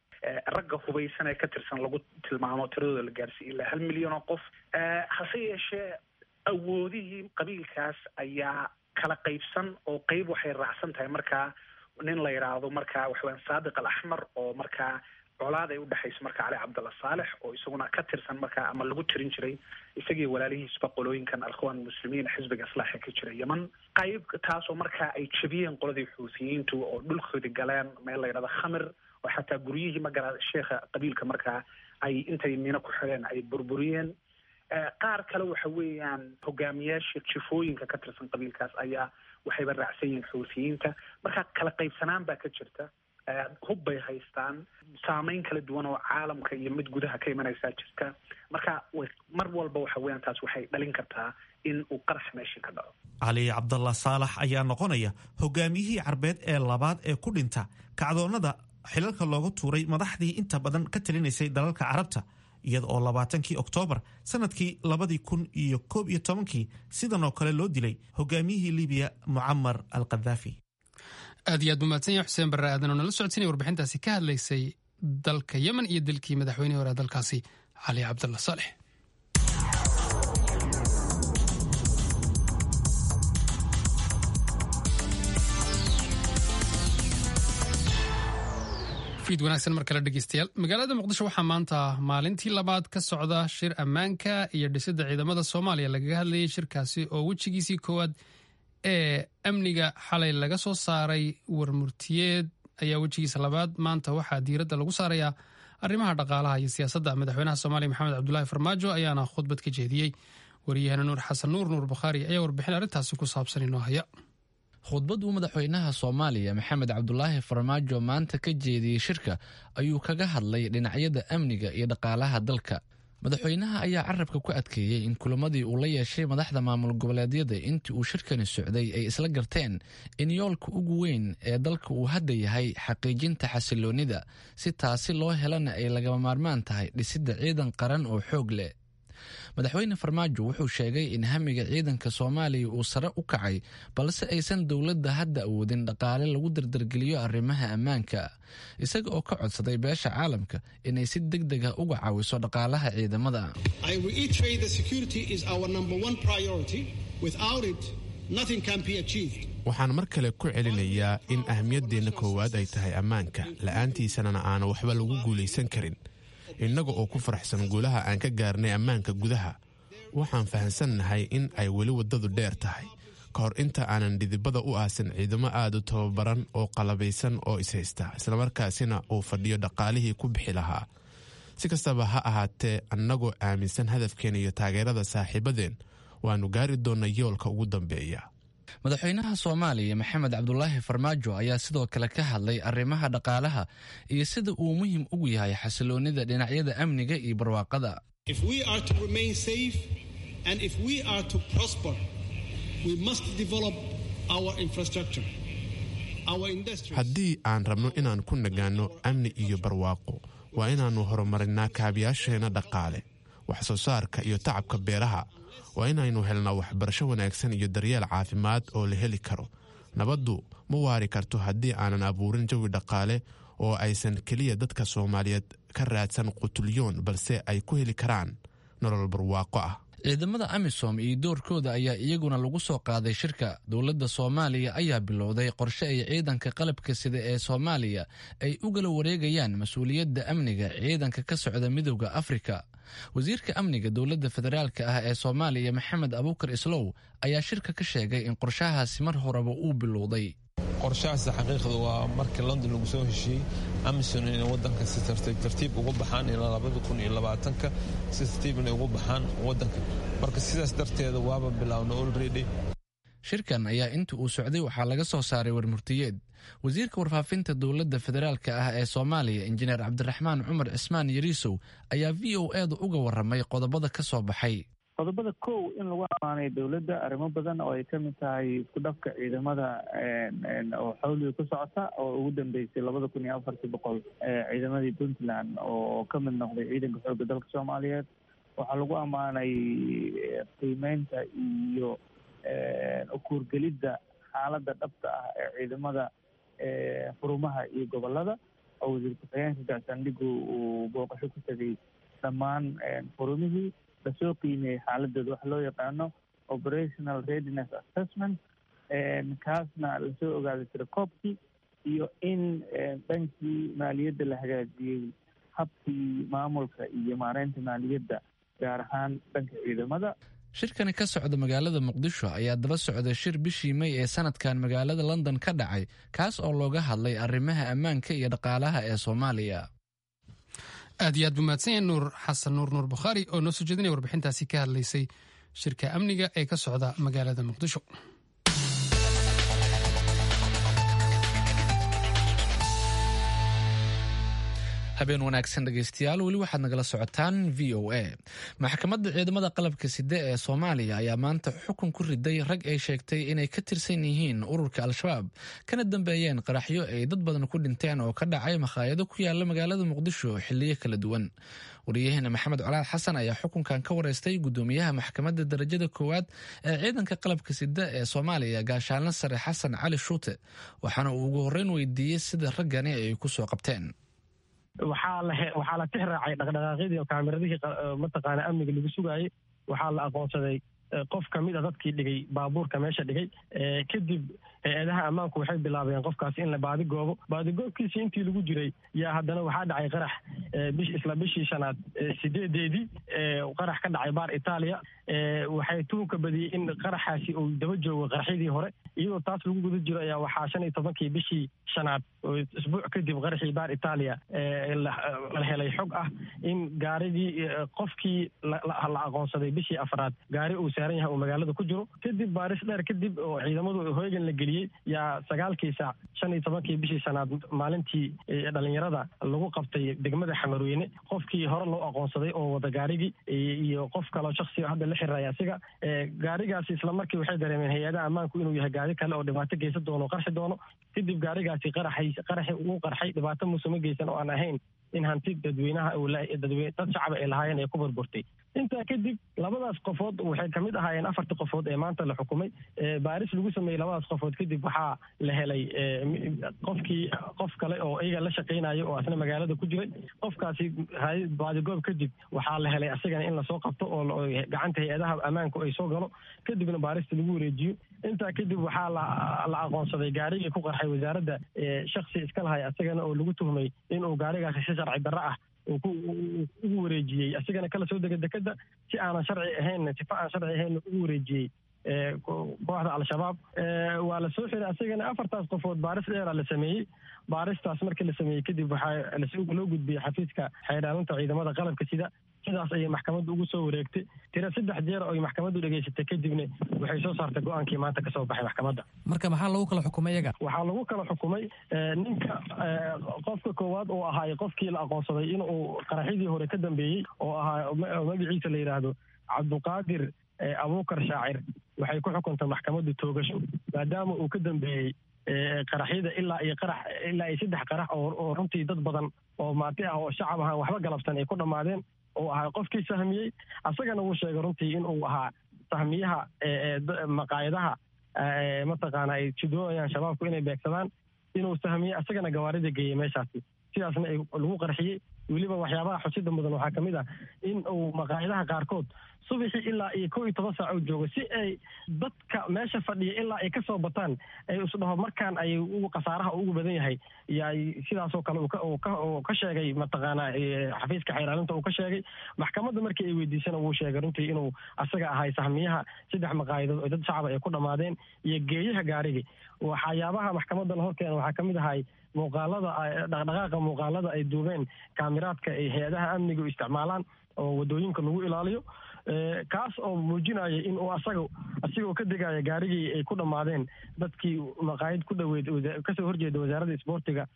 Ragga hubaysan ee ka tirsan lagu tilmaamo tiradooda la gaarsiiy ilaa 1 milyan oo qof. Hase yeeshee, awoodihii qabiilkaas ayaa kala qaybsan oo qeyb waxay raacsan tahay markaa nin la yidhaahdo markaa waxaweyaan Saadiq Al Axmar, oo markaa colaad ay udhexayso marka Cali Cabdulla Saalex, oo isaguna ka tirsan markaa ama lagu tirin jiray isagii walaalihiisba qolooyinkan Alkhwaan Muslimiin, xisbiga Islaaxa ka jira Yeman. Qayb taasoo markaa ay jebiyeen qoladii Xuuthiyiintu oo dhulkoodii galeen meel la yidhahdo Khamir, oo xataa guryihii magara sheekha qabiilka markaa ay intay mino ku xidheen ay burburiyeen. Qaar kale waxa weeyaan hogaamiyaasha jifooyinka ka tirsan qabiilkaas ayaa waxayba raacsan yihiin Xuuthiyiinta. Marka kala qaybsanaan baa ka jirta, hub bay haystaan, saameyn kala duwan oo caalamka iyo mid gudaha ka imanaysaa jirta. Marka mar walba waxa weeyaan taas waxay dhalin kartaa in uu qarax meeshii ka dhaco. Cali Cabdalla Saalax ayaa noqonaya hogaamiyihii Carbeed ee labaad ee ku dhinta kacdoonnada xilalka looga tuuray madaxdii inta badan ka talinaysay dalalka carabta, iyada oo 20kii Oktoobar sanadkii 2011kii sidan oo kale loo dilay hogaamiyihii Libiya Mucamar al Khadaafi. Aad iyo aad buu mahadsan yahay Xuseen Barre Aadan oo nala socodsiinaya warbixintaasi ka hadlaysay dalka Yemen iyo dilkii madaxweynihii hore dalkaasi Cali Cabdalla Saalex. Fiid wanaagsan mar kale dhegeystayaal. Magaalada Muqdisho waxaa maanta maalintii labaad ka socda shir ammaanka iyo dhisidda ciidamada Soomaaliya lagaga hadlayay. Shirkaasi oo wejigiisii koowaad ee amniga xalay laga soo saaray warmurtiyeed ayaa wejigiisa labaad maanta waxaa diiradda lagu saarayaa arrimaha dhaqaalaha iyo siyaasadda. Madaxweynaha Soomaaliya Maxamed Cabdulaahi Farmaajo ayaana khudbad ka jeediyey. Wariyahana Nuur Xasan Nuur, Nuur Bukhaari, ayaa warbixin arrintaasi ku saabsan inoo haya. Khudbad uu madaxweynaha Soomaaliya Maxamed Cabdulaahi Farmaajo maanta ka jeediyey shirka ayuu kaga hadlay dhinacyada amniga iyo dhaqaalaha dalka. Madaxweynaha ayaa carabka ku adkeeyey in kulamadii uu la yeeshay madaxda maamul goboleedyada intii uu shirkani socday ay isla garteen in yoolka ugu weyn ee dalka uu hadda yahay xaqiijinta xasiloonnida, si taasi loo helana ay lagama maarmaan tahay dhisidda ciidan qaran oo xoog leh. Madaxweyne Farmaajo wuxuu sheegay in hamiga ciidanka Soomaaliya uu sare u kacay, balse aysan dowladda hadda awoodin dhaqaale lagu dardargeliyo arrimaha ammaanka, isaga oo ka codsaday beesha caalamka inay si deg deg ah uga caawiso dhaqaalaha ciidamada. Waxaan mar kale ku celinayaa in ahmiyaddeenna koowaad ay tahay ammaanka, la'aantiisanana aana waxba lagu guulaysan karin. Innaga oo ku faraxsan guulaha aan ka gaarnay ammaanka gudaha, waxaan fahansannahay in ay weli waddadu dheer tahay ka hor inta aanan dhidibada u aasin ciidamo aad u tababaran oo qalabaysan oo ishaysta, islamarkaasina uu fadhiyo dhaqaalihii ku bixi lahaa. Si kastaba ha ahaatee, annagoo aaminsan hadafkeena iyo taageerada saaxiibadeen, waannu gaari doonnaa yoolka ugu dambeeya. Madaxweynaha Soomaaliya Maxamed Cabdulaahi Farmaajo ayaa sidoo kale ka hadlay arrimaha dhaqaalaha iyo sida uu muhiim ugu yahay xasiloonnida dhinacyada amniga iyo barwaaqada. Haddii aan rabno inaan ku nagaanno amni iyo barwaaqo, waa inaannu horumarinaa kaabiyaasheenna dhaqaale, wax soo saarka iyo tacabka beeraha. Waa inaynu helnaa waxbarasho wanaagsan iyo daryeel caafimaad oo la heli karo. Nabaddu ma waari karto haddii aanan abuurin jawi dhaqaale oo aysan keliya dadka Soomaaliyeed ka raadsan qutulyoon, balse ay ku heli karaan nolol barwaaqo ah. Ciidamada AMISOM iyo doorkooda ayaa iyaguna lagu soo qaaday shirka. Dowladda Soomaaliya ayaa bilowday qorshe ay ciidanka qalabka sida ee Soomaaliya ay ugala wareegayaan mas-uuliyadda amniga ciidanka ka socda Midowda Afrika. Wasiirka amniga dowladda federaalka ah ee Soomaaliya Maxamed Abuukar Islow ayaa shirka ka sheegay in qorshahaasi mar horeba uu bilowday. Qorshahaas xaqiiqda waa markii London lagu soo heshiiyey AMISOM inay wadanka si tartiib tartiib ugu baxaan ilaa 2020-ka, si tartiib inay ugu baxaan wadanka. Marka sidaas darteeda waaba bilaawna already. Shirkan ayaa inta uu socday waxaa laga soo saaray warmurtiyeed. Wasiirka warfaafinta dowladda federaalka ah ee Soomaaliya Injineer Cabdiraxmaan Cumar Cismaan Yariisow ayaa VOA-da uga waramay qodobada ka soo baxay. Qodobada kow, in lagu amaanay dowladda arrimo badan oo ay ka mid tahay isku dhafka ciidamada oo xawliga ku socota, oo ugu dambeysay 2400 ciidamadii Puntland oo ka mid noqday ciidanka xoogga dalka Soomaaliyeed. Waxaa lagu ammaanay qiimeynta iyo ukuurgelidda xaaladda dhabta ah ee ciidamada xurumaha iyo gobolada, oo wasiir ku-xigeenka gaashaandhigu uu booqasho ku tegay dhammaan xurumihii, lasoo qiimeeyey xaaladooda, waxa loo yaqaano operational readiness assessment, kaasna lasoo ogaaday tirakoobkii iyo in dhankii maaliyadda la hagaajiyey, habkii maamulka iyo maareynta maaliyadda, gaar ahaan dhanka ciidamada. Shirkani ka socda magaalada Muqdisho ayaa daba socda shir bishii May ee sanadkan magaalada London ka dhacay, kaas oo looga hadlay arrimaha ammaanka iyo dhaqaalaha ee Soomaaliya. Aad iyo aad buu mahadsan yahay Nuur Xasan Nuur, Nuur Bukhaari, oo noo soo jeedinaya warbixintaasi ka hadlaysay shirka amniga ee ka socda magaalada Muqdisho. Habeen wanaagsan dhegeystayaal, weli waxaad nagala socotaan VOA. Maxkamadda ciidamada qalabka side ee Soomaaliya ayaa maanta xukun ku riday rag ay sheegtay inay ka tirsan yihiin ururka Al-Shabaab, kana dambeeyeen qaraxyo ay dad badan ku dhinteen oo ka dhacay makhaayado ku yaala magaalada Muqdisho xiliyo kala duwan. Wariyaheena Maxamed Colaad Xasan ayaa xukunkan ka wareystay gudoomiyaha maxkamadda darajada koowaad ee ciidanka qalabka sida ee Soomaaliya, gaashaanle sare Xasan Cali Shuute, waxaana uu ugu horreyn weydiiyey sida raggani ay ku soo qabteen. Waxaa la tix raacay dhaqdhaqaaqyadii kaamiradihii mataqaana amniga lagu sugaayey. Waxaa la aqoonsaday qof ka mid a dadkii dhigay baabuurka meesha dhigay. Kadib hay-adaha ammaanku waxay bilaabeen qofkaasi in la baadigoobo. Baadigoobkiisii intii lagu jiray yaa haddana waxaa dhacay qarax isla bishii shanaad 8-deedii, qarax ka dhacay baar Itaaliya. Waxay tuhunka badiyey in qaraxaasi uu daba joogo qaraxyadii hore. Iyadoo taas lagu guda jiro ayaa waxaa 15-kii bishii shanaad, oo isbuuc kadib qaraxii baar Itaaliya, la helay xog ah in gaarigii qofkii la aqoonsaday bishii afraad gaari uu saaran yahay uu magaalada ku jiro. Kadib baaris dheer kadib oo ciidamadu hoygan la geliyey yaa 9-kii saac 15-kii bishii shanaad, maalintii dhalinyarada lagu qabtay degmada Xamarweyne, qofkii hore loo aqoonsaday oo wada gaarigii iyo qof kaloo shaksi hadda la xiriiraya asiga gaarigaasi. Isla markii waxay dareemeen hay-adaha ammaanku inuu yahay gaari kale oo dhibaato geysan doono o qarxi doono. Kadib gaarigaasi qaraxay, qaraxi uu qarxay, dhibaato muusama geysan oo aan ahayn in hanti dadweynaha, dad shacaba ay lahaayeen, ay ku burburtay. Intaa kadib labadaas qofood waxay kamid ahaayeen afartii qofood ee maanta la xukumay. Baaris lagu sameeyey labadaas qofood kadib waxaa la helay qofkii qof kale oo iyaga la shaqaynayo oo asna magaalada ku jiray. Qofkaasi baadigoob kadib waxaa la helay asagana in lasoo qabto oo gacanta hay-adaha ammaanku ay soo galo, kadibna baarista lagu wareejiyo. Intaa kadib waxaa la aqoonsaday gaarigii ku qarxay wasaaradda shaksi iska lahay asagana oo lagu tuhmay inuu gaarigaasi si sharci darro ah ugu wareejiyey, asigana kala soo dega dekeda si aanan sharci ahayn, sifa aan sharci ahayn ugu wareejiyey kooxda Al-Shabaab. Waa la soo xiray asagana. Afartaas qofood baaris dheeraa la sameeyey. Baaristaas markii la sameeyey kadib waxaa loo gudbiyey xafiiska xeerdhaalinta ciidamada qalabka sida. Sidaas ayay maxkamaddu ugu soo wareegtay. Tira saddex jeer oo ay maxkamaddu dhegeysatay kadibna waxay soo saartay go-aankii maanta kasoo baxay maxkamadda. Marka maxaa lagu kala xukumay iyaga? Waxaa lagu kala xukumay ninka qofka koowaad oo ahaay qofkii la aqoonsaday inuu qaraxyadii hore ka dambeeyey, oo ahaa magaciisa la yidhaahdo Cabduqaadir Abuukar Shaacir, waxay ku xukuntay maxkamaddu toogasho, maadaama uu ka dambeeyey qaraxyada ilaa iyo qarax ilaa iyo saddex qarax oo runtii dad badan oo maati ah oo shacab ahaan waxba galabsan ay ku dhammaadeen, oo ahaa qofkii sahmiyey. Asagana wuu sheegay runtii inuu ahaa sahmiyaha maqaayadaha mataqaana ay jidooyaan shabaabku inay beegsadaan, inuu sahmiyey, asagana gawaarida geeyey meeshaasi, sidaasna lagu qarxiyey. Weliba waxyaabaha xusida mudan waxaa kamid ah in uu maqaayadaha qaarkood subaxii ilaa iyo 11 saac uu joogo, si ay dadka meesha fadhiya ilaa ay kasoo bataan ay isdhaho markaan ay khasaaraha ugu badan yahay. Yaay sidaasoo kale uu ka sheegay mataqaana xafiiska xeeraalinta uu ka sheegay. Maxkamadda markii ay weydiisana wuu sheegay runtii inuu asaga ahay sahmiyaha saddex maqaayadood oo dad shacaba ay ku dhammaadeen iyo geeyaha gaarigii. Waxyaabaha maxkamadda la horkeena waxaa kamid ahay muuqaalada dhaqdhaqaaqa muuqaalada ay duubeen kaamiraadka ay hay-adaha amniga u isticmaalaan oo wadooyinka lagu ilaaliyo, kaas oo muujinaya in uu asaga asigoo ka degaya gaarigii ay ku dhammaadeen dadkii maqaayad ku dhoweyd kasoo horjeeda wasaaradda isboortiga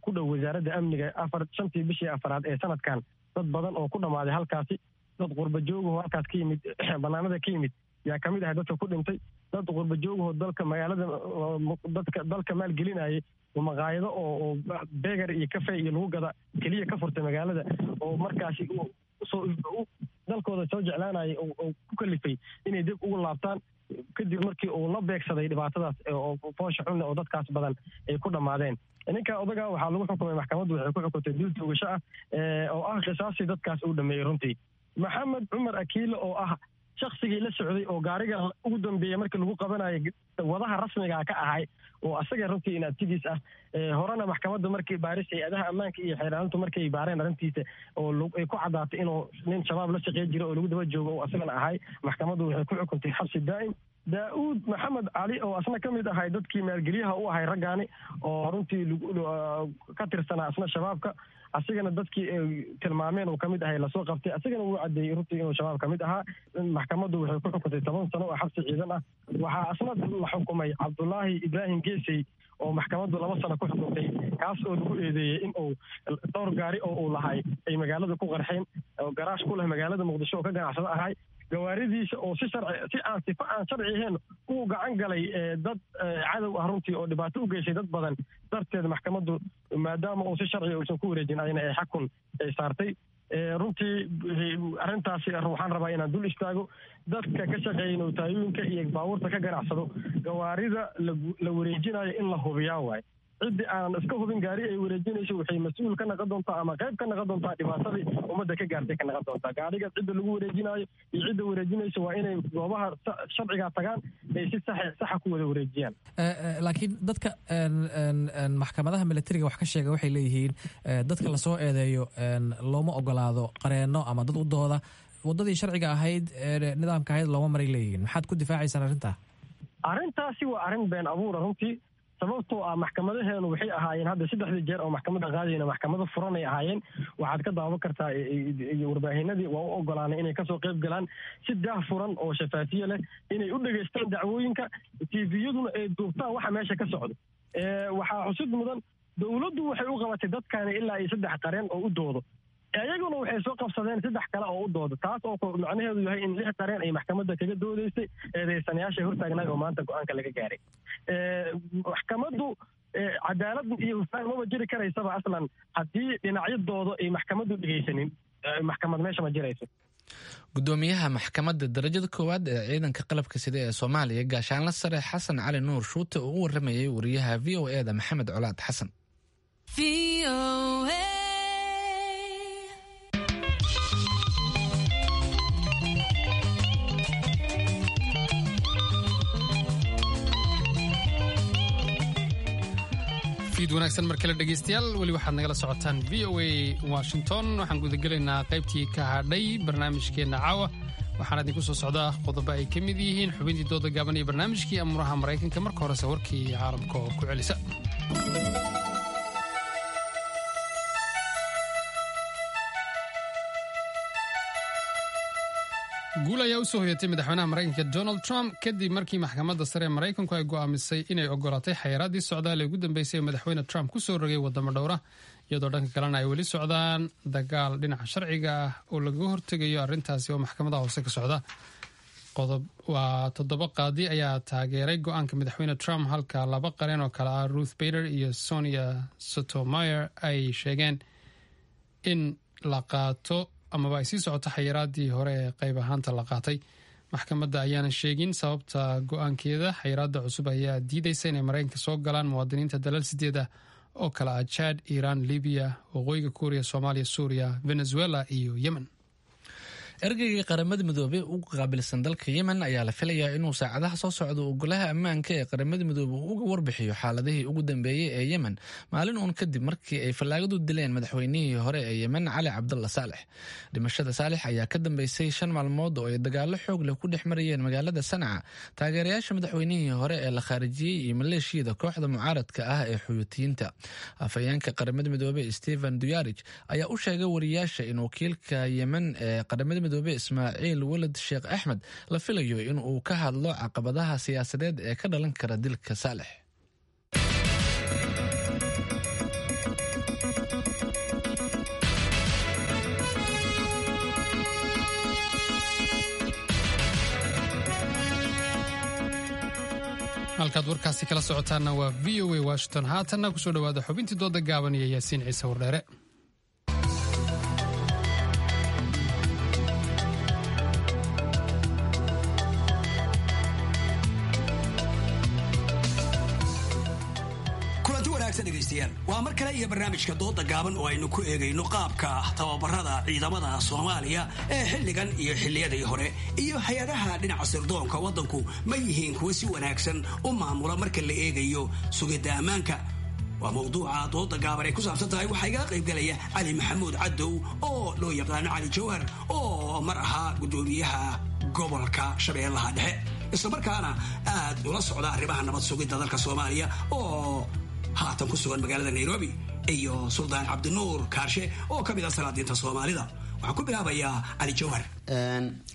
ku dhow wasaaradda amniga 4-5-tii bishii afaraad ee sanadkan, dad badan oo ku dhammaaday halkaasi. Dad qurba joogaho halkaas ka yimid, banaanada ka yimid yaa kamid ahay dadka ku dhintay. Dad qurba joogaho dalka magaalada dadka dalka maalgelinayay oo maqaayado oo beger iyo cafe iyo lagu gada keliya ka furtay magaalada, oo markaasi soo dalkooda soo jeclaanayay oo ku kalifay inay dib ugu laabtaan kadib markii uu la beegsaday dhibaatadaas oo foosha xunle oo dadkaas badan ay ku dhammaadeen. Ninka odaga waxaa lagu xukumay, maxkamaddu waxay ku xukuntay dil toogasho ah oo ah qisaasii dadkaas uu dhameeyey runtii. Maxamed Cumar Akiile oo ah shaksigii la socday oo gaariga ugu dambeeyey markii lagu qabanayo wadaha rasmigaa ka ahay, oo asaga runtii inaabtigiis ah, horena maxkamadda markii baaris hay-adaha ammaanka iyo xeeraalintu markay baareen arrintiisa oo ay ku caddaatay inuu nin Shabaab la shaqeyn jira oo lagu daba joogo oo asagana ahay, maxkamaddu waxay ku xukuntay xabsi daa'im. Daa'uud Maxamed Cali oo asna ka mid ahay dadkii maalgeliyaha u ahay raggaani oo runtii ka tirsanaa asna Shabaabka, asigana dadkii ay tilmaameen uu kamid ahay lasoo qabtay, asigana wuu caddeeyey runtii inuu Shabaab kamid ahaa. Maxkamaddu waxay ku xukuntay 10 sano oo xabsi ciidan ah. Waxaa asna la xukumay Cabdulaahi Ibraahim Geesey oo maxkamaddu 2 sano ku xukuntay, kaas oo lagu eedeeyey in uu dhowr gaari oo uu lahay ay magaalada ku qarxeen, oo garaash ku leh magaalada Muqdisho oo ka ganacsado ahay, gawaaridiisa oo si sharci si aan sifo aan sharci ahayn uu gacan galay dad cadow ah runtii oo dhibaato u geysay dad badan darteed, maxkamaddu maadaama uu si sharciga uusan ku wareejin ayna ay xakun ay saartay. Runtii arrintaasi waxaan rabaa inaan dul istaago. Dadka ka shaqeeya notaayooyinka iyo baabuurta ka ganacsado, gawaarida la wareejinayo in la hubiyaa waaye. Ciddii aanan iska hubin gaari ay wareejinayso waxay mas-uul ka noqon doontaa ama qayb ka noqon doontaa dhibaatadii ummadda ka gaartay ka noqon doontaa. Gaariga cidda lagu wareejinayo iyo cidda wareejinayso waa inay goobaha sharciga tagaan ay si saxa ku wada wareejiyaan. Laakiin dadka maxkamadaha militariga wax ka sheega waxay leeyihiin dadka lasoo eedeeyo looma ogolaado qareenno ama dad u dooda, waddadii sharciga ahayd nidaamka ahayd looma maray leeyihiin. Maxaad ku difaacaysaan arrintaa? Arrintaasi waa arrin been abuura runtii, sababtoo ah maxkamadaheenu waxay ahaayeen hadda saddexdii jeer oo maxkamadda qaadayna maxkamado furan ay ahaayeen. Waxaad ka daawan kartaa warbaahinadii waa u ogolaanay inay kasoo qayb galaan si daah furan oo shafaafiye leh inay u dhegaystaan dacwooyinka, tviyaduna ay duubtaan waxa meesha ka socdo. Waxaa xusid mudan dowladdu waxay u qabatay dadkani ilaa iyo 3 qareen oo u doodo, ayaguna waxay soo qabsadeen 3 kale oo u dooda, taas oo macnaheedu yahay in 6 qareen ay maxkamadda kaga doodaysay eedeysanayaasha hortaagnaay oo maanta go-aanka laga gaaray. Maxkamaddu cadaalad iyo hufnaan maba jiri karaysaba aslan haddii dhinacyadooda ay maxkamaddu dhegaysanin, maxkamad meesha ma jirayso. Gudoomiyaha maxkamadda darajada koowaad ee ciidanka qalabka sida ee Soomaaliya, gaashaanla sare Xasan Cali Nuur Shuute, oo u waramayay wariyaha v o e da Maxamed Colaad Xasan. Fiid wanaagsan mar kale dhegaystayaal, weli waxaad nagala socotaan v o a Washington. Waxaan gudagelaynaa qaybtii ka hadhay barnaamijkeenna caawa. Waxaana idinku soo socdaa qodobo ay ka mid yihiin xubintii dooda gaaban iyo barnaamijkii amuraha Maraykanka. Marka horese warkii caalamka oo ku celisa. Guul ayaa usoo hoyatay madaxweynaha Maraykanka Donald Trump kadib markii maxkamadda sare ee Maraykanku ay go'aamisay inay ogolaatay xayiraaddii socdaal ee ugu dambeysay ee madaxweyne Trump ku soo rogay waddamo dhowra, iyadoo dhanka kalena ay weli socdaan dagaal dhinaca sharciga ah oo lagaga hortegayo arrintaasi oo maxkamadaha hoose ka socda. Qodob waa 7 qaadi ayaa taageeray go'aanka madaxweyne Trump, halka 2 qareen oo kale ah Ruth Bader iyo Sonia Sotomayor ay sheegeen in la qaato amaba ay sii socoto xayiraadii hore ee qayb ahaanta la qaatay. Maxkamadda ayaana sheegin sababta go-aankeeda. Xayiraadda cusub ayaa diidaysa inay Maraykanka soo galaan muwaadiniinta dalal 8 ah oo kale ah Chad, Iiraan, Libiya, Waqooyiga Kuuriya, Soomaaliya, Suuriya, Venezuela iyo Yemen. Ergeygii Qaramada Midoobey ugu qaabilsan dalka Yemen ayaa la filayaa inuu saacadaha soo socda uu golaha ammaanka ee Qaramada Midoobey uu uga warbixiyo xaaladihii ugu dambeeyey ee Yemen, maalin uun kadib markii ay fallaagadu dileen madaxweynihii hore ee Yemen, Cali Cabdalla Saalex. Dhimashada Saalex ayaa ka dambeysay 5 maalmood oo ay dagaallo xoog leh ku dhex marayeen magaalada Sanca taageerayaasha madaxweynihii hore ee la khaarijiyey iyo maleeshiyada kooxda mucaaradka ah ee Xuyuutiyiinta. Afhayeenka Qaramada Midoobey Stephen Duyarich ayaa u sheegay wariyaasha in wakiilka Yemen ee Qaramada Midoobe Ismaaciil Walad Sheekh Axmed la filayo in uu ka hadlo caqabadaha siyaasadeed ee ka dhalan kara dilka Saalex. Halkaad warkaasi kala socotaanna waa v o a Washington. Haatanna kusoo dhowaada xubintii dooda gaaban iyo Yaasiin Ciise Wardheere. Dhegeystayaal, waa mar kale iyo barnaamijka dooda gaaban oo aynu ku eegayno qaabka tababarada ciidamada Soomaaliya ee xilligan iyo xilliyadii hore iyo hay-adaha dhinaca sirdoonka waddanku ma yihiin kuwa si wanaagsan u maamula marka la eegayo sugidda ammaanka. Waa mawduuca dooda gaaban ay ku saabsan tahay. Waxaa igala qaybgalaya Cali Maxamuud Cadow oo loo yaqaano Cali Jawhar oo mar ahaa guddoomiyaha gobolka Shabeellaha Dhexe, Islamarkaana aad ula socda arrimaha nabad sugidda dalka Soomaaliya oo haatan ku sugan magaalada Nairobi, iyo Suldaan Cabdinuur Kaarshe oo ka mid ah salaadiinta Soomaalida. Waxaan ku bilaabayaa Cali Jawhar.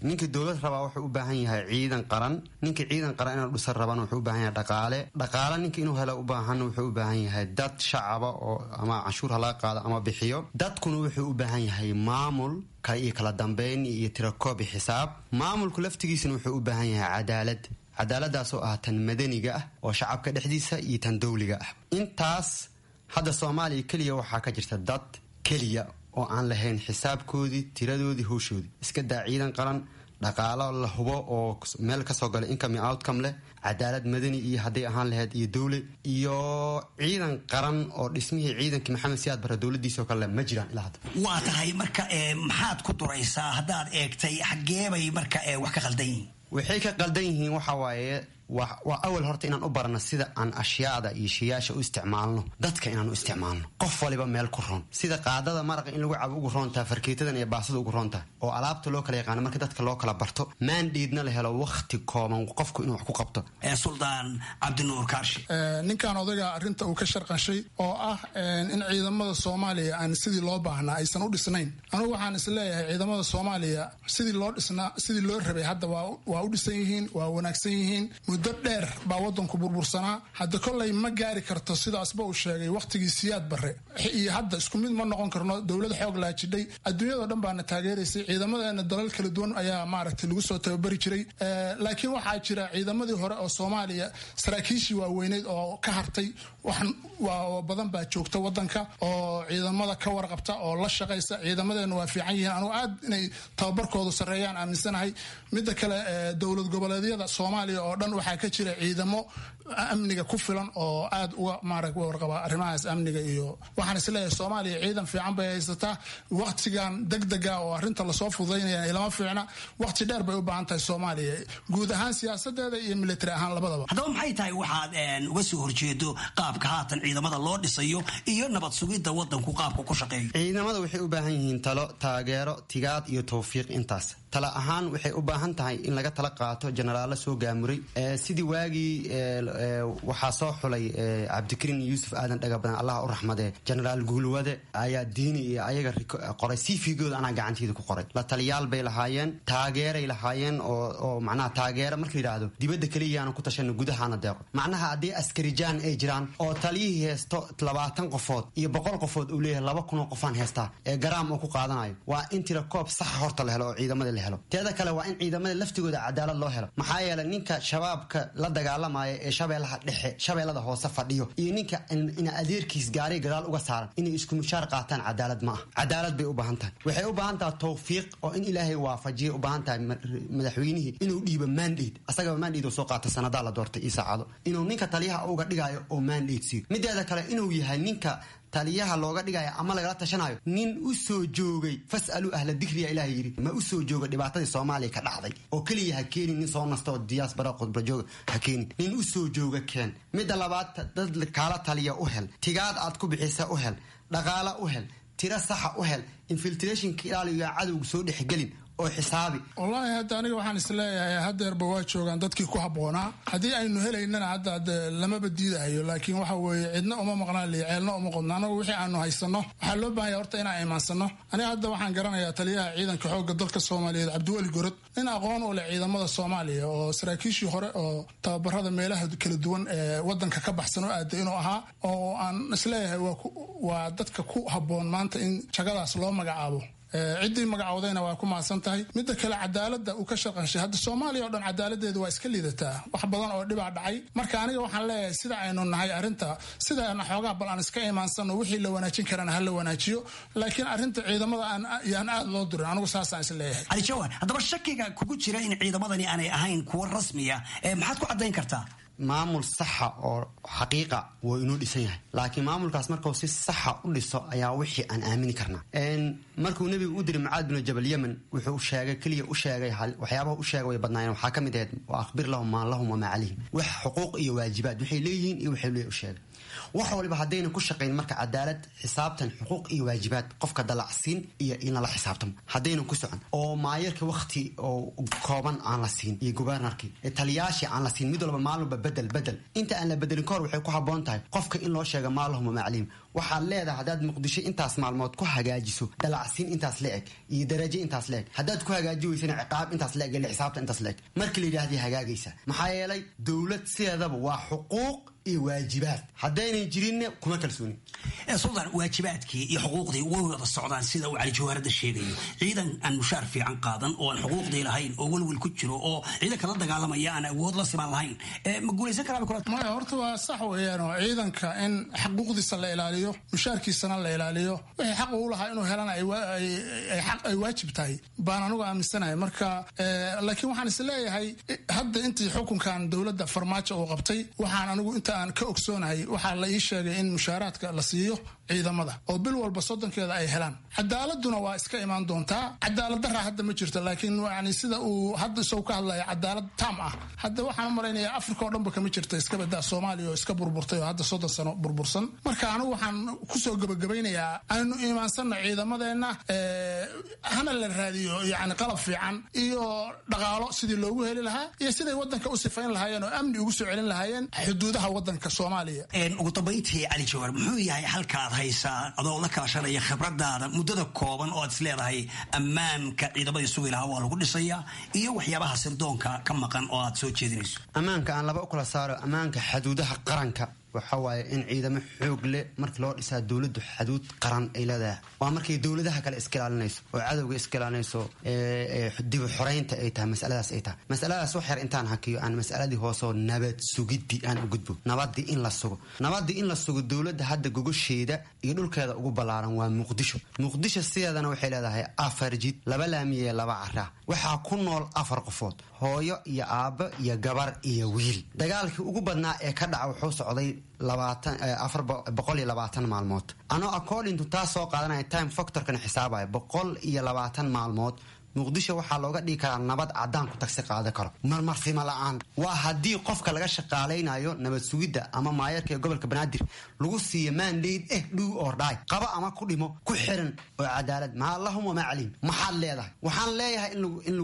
Ninka dowlad rabaa wuxuu u baahan yahay ciidan qaran. Ninka ciidan qaran inuu dhisan rabana wuxuu u baahan yahay dhaqaale. Dhaqaale ninka inuu helo u baahan wuxuu u baahan yahay dad shacaba oo ama canshuur halaga qaado ama bixiyo. Dadkuna wuxuu u baahan yahay maamul kale iyo kala dambeyn iyo tirakoob iyo xisaab. Maamulku laftigiisana wuxuu u baahan yahay cadaalad, cadaaladaasoo ah tan madaniga ah oo shacabka dhexdiisa iyo tan dowliga ah. Intaas hadda Soomaaliya keliya waxaa ka jirta dad keliya oo aan lahayn xisaabkoodii, tiradoodii, howshoodii. Iska daa ciidan qaran, dhaqaalo la hubo oo meel kasoo galay income iyo outcome leh, cadaalad madani iyo hadday ahaan lahayd iyo dowle iyo ciidan qaran oo dhismihii ciidankii Maxamed Siyaad Barre dowladiisoo kale ma jiraan ilaa hadda. Waa tahay. Marka maxaad ku duraysaa haddaad eegtay xaggeebay marka wax ka qaldan yihiin? Waxay ka qaldan yihiin waxa waaye, waa awal horta inaan u barano sida aan ashyaada iyo shiyaasha u isticmaalno, dadka inaan u isticmaalno, qof waliba meel ku roon, sida qaadada maraqa in lagu cabo ugu roontaha, farkeetadan iyo baasada ugu roontaha, oo alaabta loo kala yaqaano. Marka dadka loo kala barto, maandhiidna la helo wakhti kooban qofku inuu wax ku qabto. Suldaan Cabdinuur Kaashi. Ninkan odayga arrinta uu ka sharqanshay oo ah in ciidamada Soomaaliya aan sidii loo baahnaa aysan u dhisnayn, anugu waxaan isleeyahay ciidamada Soomaaliya sidii loo dhisnaa, sidii loo rabay hadda waa u dhisan yihiin, waa wanaagsan yihiin. Muddo dheer baa wadanku burbursanaa. Hadda kolley ma gaari karto sidaasba uu sheegay wakhtigii Siyaad Barre iyo hadda isku mid ma noqon karno. Dowlad xoog laajidhay, adduunyadao dhan baana taageeraysay. Ciidamadeena dalal kala duwan ayaa maaragtay lagu soo tababari jiray. Laakiin waxaa jira ciidamadii hore oo Soomaaliya saraakiishii waaweyneyd oo ka hartay wax badan baa joogta wadanka oo ciidamada ka warqabta oo la shaqaysa. Ciidamadeena waa fiican yihiin, anugu aad inay tababarkoodu sarreeyaan aaminsanahay. Midda kale, dowlad goboleedyada Soomaaliya oo dhan waxaa ka jira ciidamo amniga ku filan oo aad uga maarag warqaba arrimahaas amniga. Iyo waxaan isleeyahay Soomaaliya ciidan fiican bay haysataa. Waqtigan degdega oo arrinta lasoo fududaynaya ilama fiicna. Waqti dheer bay u baahan tahay Soomaaliya guud ahaan siyaasadeeda iyo military ahaan labadaba. Haddaba maxay tahay waxaad uga soo horjeedo qaabka haatan ciidamada loo dhisayo iyo nabad sugidda wadanku qaabka ku shaqeeyo? Ciidamada waxay u baahan yihiin talo, taageero, tigaad iyo tawfiiq. Intaas tala ahaan waxay u baahan tahay in laga tala qaato jenaraalo soo gaamuray. Sidii waagii waxaa soo xulay Cabdikariin Yuusuf Aadan Dhagabadan, Allah u raxmadee, jenaraal Guulwade ayaa diini iyo ayaga qoray cv-gooda, anaa gacanteeda ku qoray. La taliyaal bay lahaayeen, taageeray lahaayeen, oo macnaha taageero marka yidhaahdo dibadda keliyaanu ku tashano, gudahaana deeqo. Macnaha haddii askarijaan ay jiraan oo taliyihii heesto 20 qofood iyo 100 qofood uu leeyahay 2000 oo qofaan heestaa ee garaam uu ku qaadanayo, waa in tira koob saxa horta la helo oo ciidamada la helo. Teeda kale, waa in ciidamada laftigooda cadaalad loo helo. Maxaa yeelay ninka Shabaabka la dagaalamaya ee Shabeellaha Dhexe, Shabeellada Hoose fadhiyo iyo ninka ina adeerkiis gaariga gadaal uga saaran inay isku mushaar qaataan cadaalad ma ah. Cadaalad bay u baahan tahay. Waxay u baahan tahay tawfiiq oo in Ilaahay waafajiyay u baahan tahay madaxweynihii inuu dhiibo mandate, asagaba mandate oo soo qaata sanadaa la doortay iyo saacado, inuu ninka taliyaha uga dhigayo oo mandate siiyo. Mideeda kale, inuu yahay ninka taliyaha looga dhigayo ama lagala tashanayo nin u soo joogay. Fasaluu ahla dikriya, Ilaah yidhi, ma u soo jooga dhibaatadii Soomaaliya ka dhacday oo keliya ha keenin nin soo nasta oo diyaasbara khudba jooga, ha keenin nin u soo jooga keen. Midda labaad, dad kaala taliya u hel, tigaad aad ku bixisa u hel, dhaqaala u hel, tiro saxa u hel, infiltrationka ilaaliyo, cadowga soo dhexgelin oo xisaabi. Wallaahi hadda aniga waxaan isleeyahay hadeerba waa joogaan dadkii ku habboonaa. Haddii aynu helaynana hadda de lamaba diidahayo, laakiin waxa weeye cidna uma maqnaan liyo ceelna uma qodno. Anagu wixii aanu haysano waxaa loo baahanya horta inaan iimaansano. Aniga hadda waxaan garanayaa taliyaha ciidanka xoogga dalka Soomaaliyeed Cabdiweli Gorod, nin aqoon u leh ciidamada Soomaaliya oo saraakiishii hore oo tababarada meelaha kala duwan ee wadanka ka baxsan oo aaday inuu ahaa, oo aan isleeyahay waa dadka ku habboon maanta in jagadaas loo magacaabo. Ciddii magacowdayna waa ku mahadsan tahay. Midda kale, cadaaladda uu ka shaqanshay, hadda Soomaaliya oo dhan cadaaladeedu waa iska liidataa, wax badan oo dhibaa dhacay. Marka aniga waxaan leeyahay sida aynu nahay arrinta sidaana xoogaa bal aan iska imaansano, wixii la wanaajin karana ha la wanaajiyo, laakiin arrinta ciidamada yaan aad loo durin, anigu saasaan is leeyahay. Cali Jawhar, haddaba shakiga kugu jira in ciidamadani aanay ahayn kuwo rasmiya maxaad ku caddayn kartaa? Maamul saxa oo xaqiiqa waa inuu dhisan yahay, laakiin maamulkaas markuu si saxa u dhiso ayaa wixii aan aamini karnaa. Markuu nebigu u diray Mucaad binu Jabal Yemen, wuxuu sheegay keliya u sheegay waxyaabaha u sheegay way badnaayeen, waxaa ka mid ahayd wa akhbir lahum maa lahum wamaa calayhim, wax xuquuq iyo waajibaad waxay leeyihiin iyo waxay leeyihin u sheegay. Wax waliba haddayna ku shaqayn marka cadaalad, xisaabtan, xuquuq iyo waajibaad, qofka dalacsiin iyo in lala xisaabtamo haddayna ku socon, oo maayarka wakti oo kooban aan la siin iyo gubernarkii taliyaashii aan la siin, mid walba maalin walba bedel bedel, inta aan la bedelin kahor waxay ku habboon tahay qofka in loo sheego maa lahum wamaa calayhim. Waxaad leedahay haddaad Muqdisho intaas maalmood ku hagaajiso dalacsiin intaas la eg iyo darajo intaas la eg, haddaad ku hagaaji weysana ciqaab intaas la eg iyo xisaabta intaas la eg. Markii la yidhahday hagaagaysa, maxaa yeelay dowlad sideedaba waa xuquuq iyo waajibaad, haddaynan jirinna kuma kalsoonin. Sultan, waajibaadkii iyo xuquuqdii way wada socdaan sida uu Cali Jawaaradda sheegayo. Ciidan aan mushaar fiican qaadan oo aan xuquuqdii lahayn oo welwel ku jiro oo ciidanka la dagaalamaya aan awood la siman lahayn ma guulaysan karaa? Maya, horta waa sax weeyaan oo ciidanka in xuquuqdiisa la ilaaliyo, mushaarkiisana la ilaaliyo, wixii xaq uu lahaa inuu helana ay waajib tahay baan anigu aaminsanahay. Marka laakiin waxaan is leeyahay hadda intii xukunkan dowladda Farmaajo uu qabtay, waxaan anigu inta aan ka ogsoonahay waxaa la ii sheegay in mushaaraadka la siiyo ciidamada oo bil walba 30keeda ay helaan. Cadaaladuna waa iska imaan doontaa, cadaalad daraa hadda ma jirto, laakiin yani sida uu hadda isagu ka hadlaya cadaalad taam ah hadda waxaan u malaynayaa Afrika oo dhanba kama jirta, iska badaa Soomaaliya oo iska burburtay oo hadda 30 sano burbursan. Marka anigu waxaan kusoo gabagabaynayaa aynu iimaansanno ciidamadeenna, hana la raadiyo yani qalab fiican iyo dhaqaalo sidii loogu heli lahaa iyo siday wadanka u sifayn lahaayeen oo amni ugu soo celin lahaayeen xuduudaha wadanka Soomaaliya. Ugu dambayntii, Cali Jawaar, muxuu yahay halka aad haysaa adoo la kaashanaya khibradaada muddada kooban oo aad is leedahay ammaanka ciidamadii sugi lahaa waa lagu dhisayaa iyo waxyaabaha sirdoonka ka maqan oo aad soo jeedinayso? Ammaanka aan laba u kala saaro. Ammaanka xuduudaha qaranka waxa waaye in ciidamo xoog leh markii loo dhisaa dowladdu xuduud qaran ay leedahay, waa markay dowladaha kale iska ilaalinayso oo cadowga iska ilaalinayso, dib u xoreynta ay tahay masaladaas ay tahay. Masaladaas wax yar intaan hakiyo aan masaladii hoosoo nabad sugidii aan u gudbo. Nabadii in la sugo, nabadii in la sugo, dowladda hadda gogosheeda iyo dhulkeeda ugu ballaaran waa Muqdisho. Muqdisho sideedana waxay leedahay 4 jid, 2 laamiye, 2 caraa. Waxaa ku nool 4 qofood, hooyo iyo aabbo iyo gabar iyo wiil. Dagaalkii ugu badnaa ee ka dhaca wuxuu socday 420 maalmood. Anoo according to taas soo qaadanaya time factorkana xisaabaya 120 maalmood Muqdisho waxaa looga dhigi karaa nabad cadaan ku tagsi qaadan karo marmarsima la-aan. Waa haddii qofka laga shaqaalaynayo nabad sugidda ama maayarka ee gobolka Banaadir lagu siiyo mandate do or die, qaba ama ku dhimo, ku xiran oo cadaalad maa lahum wamaa calayhim. Maxaad leedahay? Waxaan leeyahay in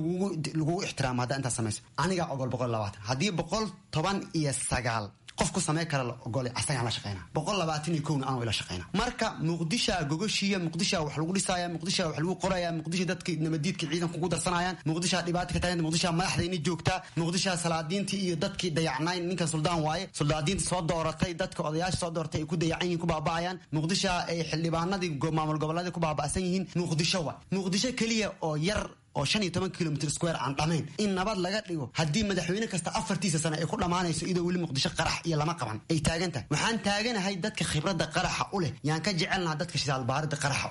lagugu ixtiraamo haddaa intaas samayso. Anigaa ogol 120, haddii 119 qof ku samey kara la ogolay asagaan la shaqeyna, 121na anuu ila shaqeyna. Marka Muqdishaa gogoshiya, Muqdishaa wax lagu dhisaya, Muqdishaa wax lagu qoraya, Muqdisha dadka nabadiidka ciidanka ugu darsanayaan, Muqdishaa dhibaata ka taagan, Muqdishaa madaxdayna joogtaa, Muqdishaa salaadiintii iyo dadkii dayacnayn, ninkan suldaan waaye, suldaadiinta soo dooratay, dadka odayaasha soo dooratay ay ku dayacan yihiin, ku baaba'ayaan. Muqdishaa ay xildhibaanadii maamul goboleedii ku baaba'san yihiin. Muqdisho wa Muqdisho keliya oo yar oo 15 kilomitr square aan dhamayn in nabad laga dhigo haddii madaxweyne kasta 4tiisa sano ay ku dhammaanayso iyadoo weli Muqdisho qarax iyo lama qaban ay taagan tahay. Waxaan taaganahay dadka khibradda qaraxa u leh yaan ka jecelnaha dadka shidaal baaridda qaraxa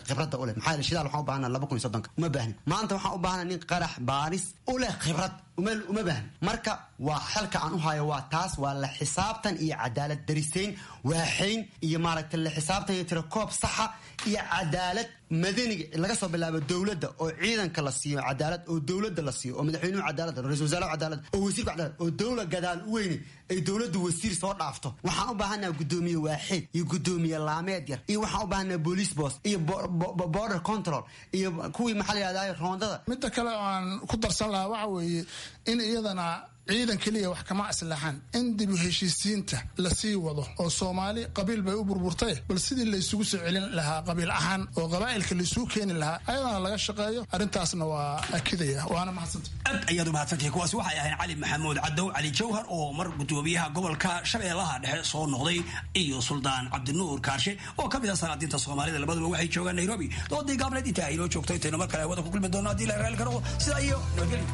khibradda u leh. Maxaa yeele shidaal waxaan u baahnaa 2030-ka uma baahnin maanta, waxaan u baahnaa nin qarax baaris u leh khibrad uma baahnin. Marka waa xalka aan u hayo waa taas, waa la xisaabtan iyo cadaalad dariseyn waaxayn iyo maaragtay la xisaabtan iyo tirakoob saxa iyo cadaalad madaniga laga soo bilaabo dowladda oo ciidanka la siiyo cadaalad, oo dowladda la siiyo, oo madaxweynuhu cadaalad, ra-iisul wasaarahu cadaalad, oo wasiirku cadaalad, oo dowla gadaal u weyne ay dowladdu wasiir soo dhaafto. Waxaan u baahanaha guddoomiye waaxid iyo guddoomiye laameed yar, iyo waxaan u baahanaha police boss iyo border control iyo kuwii maxaa la yidhahdaa roondada. Midda kale oo aan ku darsan lahaa waxa weeye in iyadana ciidan keliya wax kama aslaxan, in dib u heshiisiinta lasii wado oo Soomaali qabiil bay u burburtay, bal sidii laysugu soo celin lahaa qabiil ahaan oo qabaa'ilka laysugu keeni lahaa ayadana laga shaqeeyo. Arrintaasna waa akidaya, waana mahadsantay. Aad ayaad u mahadsantahay. Kuwaasi waxay ahayn Cali Maxamuud Cadow Cali Jawhar oo mar gudoomiyaha gobolka Shabeellaha Dhexe soo noqday iyo Suldaan Cabdinuur Kaarshe oo ka mid ah salaadiinta Soomaalida. Labaduba waxay joogaan Nairobi. Doodii gaableed intaa aynoo joogto, intaynu mar kale hawada ku kulmi doono haddii la raali karo, sidaa iyo nabadgelyo.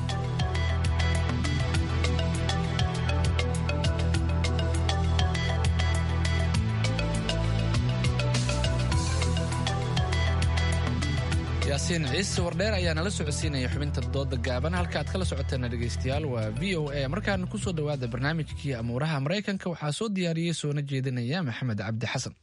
Yaa Yaasiin Ciise Wardheer ayaa nala socodsiinaya xubinta dooda gaaban. Halka aad kala socoteena dhegaystayaal waa VOA. Markaana kusoo dhowaada barnaamijkii amuuraha Maraykanka. Waxaa soo diyaariyey soona jeedinaya Maxamed Cabdi Xasan.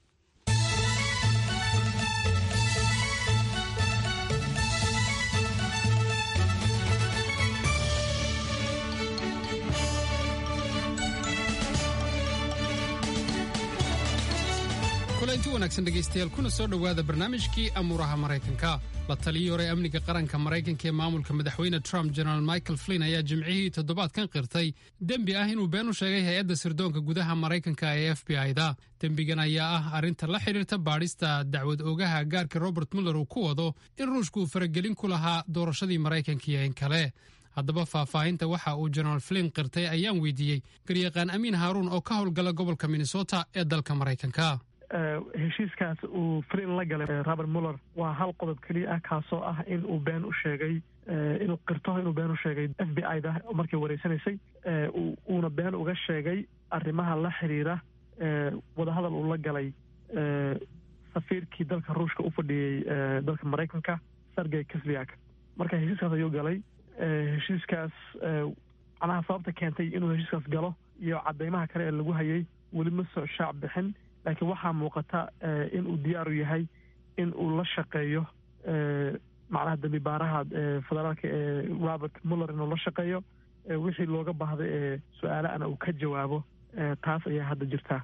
Kulanti wanaagsan dhegaystayaal, kuna soo dhowaada barnaamijkii amuuraha Maraykanka. La taliyii hore amniga qaranka Maraykanka ee maamulka madaxweyne Trump, General Michael Flynn, ayaa jimcihii toddobaadkan qirtay dembi ah inuu been u sheegay hay-adda sirdoonka gudaha Maraykanka ee FBI-da. Dembigan ayaa ah arrinta la xidhiirta baadhista dacwad oogaha gaarka Robert Muller uu ku wado in Ruushku uu faragelin ku lahaa doorashadii Maraykanka iyo in kale. Haddaba faahfaahinta waxa uu General Flynn qirtay ayaan weydiiyey garyaqaan Amiin Haaruun oo ka howlgala gobolka Minnesota ee dalka Maraykanka. Heshiiskaas uu Flynn la galay Robert Muller waa hal qodob keliya ah, kaasoo ah in uu been u sheegay, inuu qirto inuu been u sheegay FBI da markay wareysanaysay, uuna been uga sheegay arrimaha la xiriira wadahadal uu la galay safiirkii dalka Ruushka u fadhiyey dalka Maraykanka, Sergey Kislyak. Marka heshiiskaas ayuu galay. Heshiiskaas macnaha sababta keentay inuu heshiiskaas galo iyo cadeymaha kale ee lagu hayay weli ma soo shaac bixin, laakiin waxaa muuqata in uu diyaaru yahay in uu la shaqeeyo macnaha dambi baaraha federaalka ee Robert Muller, inuu la shaqeeyo wixii looga baahday ee su-aalaana uu ka jawaabo. Taas ayaa hadda jirtaa.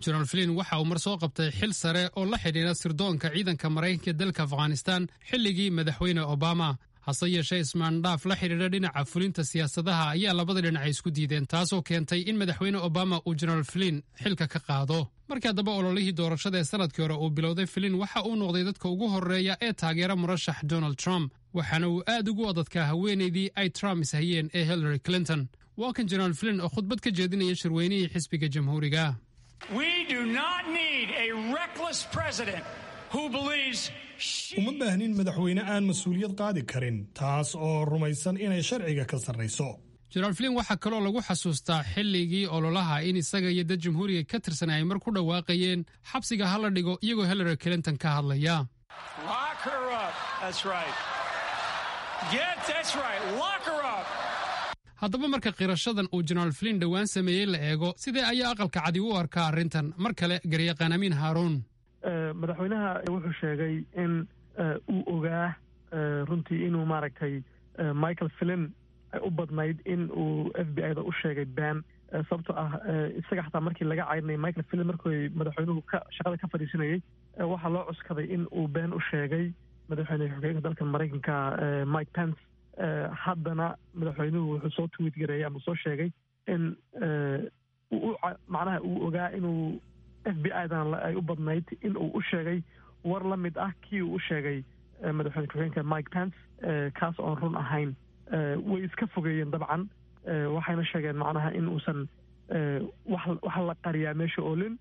General Flynn waxa uu mar soo qabtay xil sare oo la xidhiidha sirdoonka ciidanka Maraykanka ee dalka Afghanistan xilligii madaxweyne Obama. Hase yeeshee ismaandhaaf la xidhiidha dhinaca fulinta siyaasadaha ayaa labada dhinac isku diideen, taasoo keentay in madaxweyne Obama uu General Flynn xilka ka qaado. Markii haddaba ololihii doorashada ee sanadkii hore uu bilowday, Flynn waxa uu noqday dadka ugu horreeya ee taageera murashax Donald Trump, waxaana uu aad ugu adadkaa haweenaydii ay Trump ishayeen ee Hillary Clinton. Waa kan General Flynn oo khudbad ka jeedinaya shirweynihii xisbiga Jamhuuriga. Uma baahnin madaxweyne aan mas-uuliyad qaadi karin, taas oo rumaysan inay sharciga ka sarrayso. General Flynn waxaa kaloo lagu xasuustaa xilligii ololaha in isaga iyo dad Jamhuuriga ka tirsan ay mar ku dhawaaqayeen "xabsiga ha la dhigo", iyagoo Hillary Clinton ka hadlaya. Haddaba marka qirashadan uu General Flynn dhowaan sameeyey la eego, sidee ayaa Aqalka Cadi u arkaa arrintan? Mar kale garyaqaan Amiin Haaruun. Madaxweynaha wuxuu sheegay in uu ogaa runtii inuu maaragtay Michael Flynn ay u badnayd in uu FBI da u sheegay been, sababtoo ah isaga xataa markii laga caydinayay Michael Flynn, markii madaxweynuhu ka shaqada ka fadhiisanayey, waxaa loo cuskaday in uu been u sheegay madaxweyne xogeenka dalka Maraykanka Mike Pence. Haddana madaxweynuhu wuxuu soo tweet gareeyay ama soo sheegay in macnaha uu ogaa inuu FBI dan ay u badnayd in uu u sheegay war la mid ah kii uu u sheegay madaxweyne ku-xigeenka Mike Pence, kaas oon run ahayn. Way iska fogeeyeen dabcan, waxayna sheegeen macnaha in uusan wax la qariyaa meesha oolin.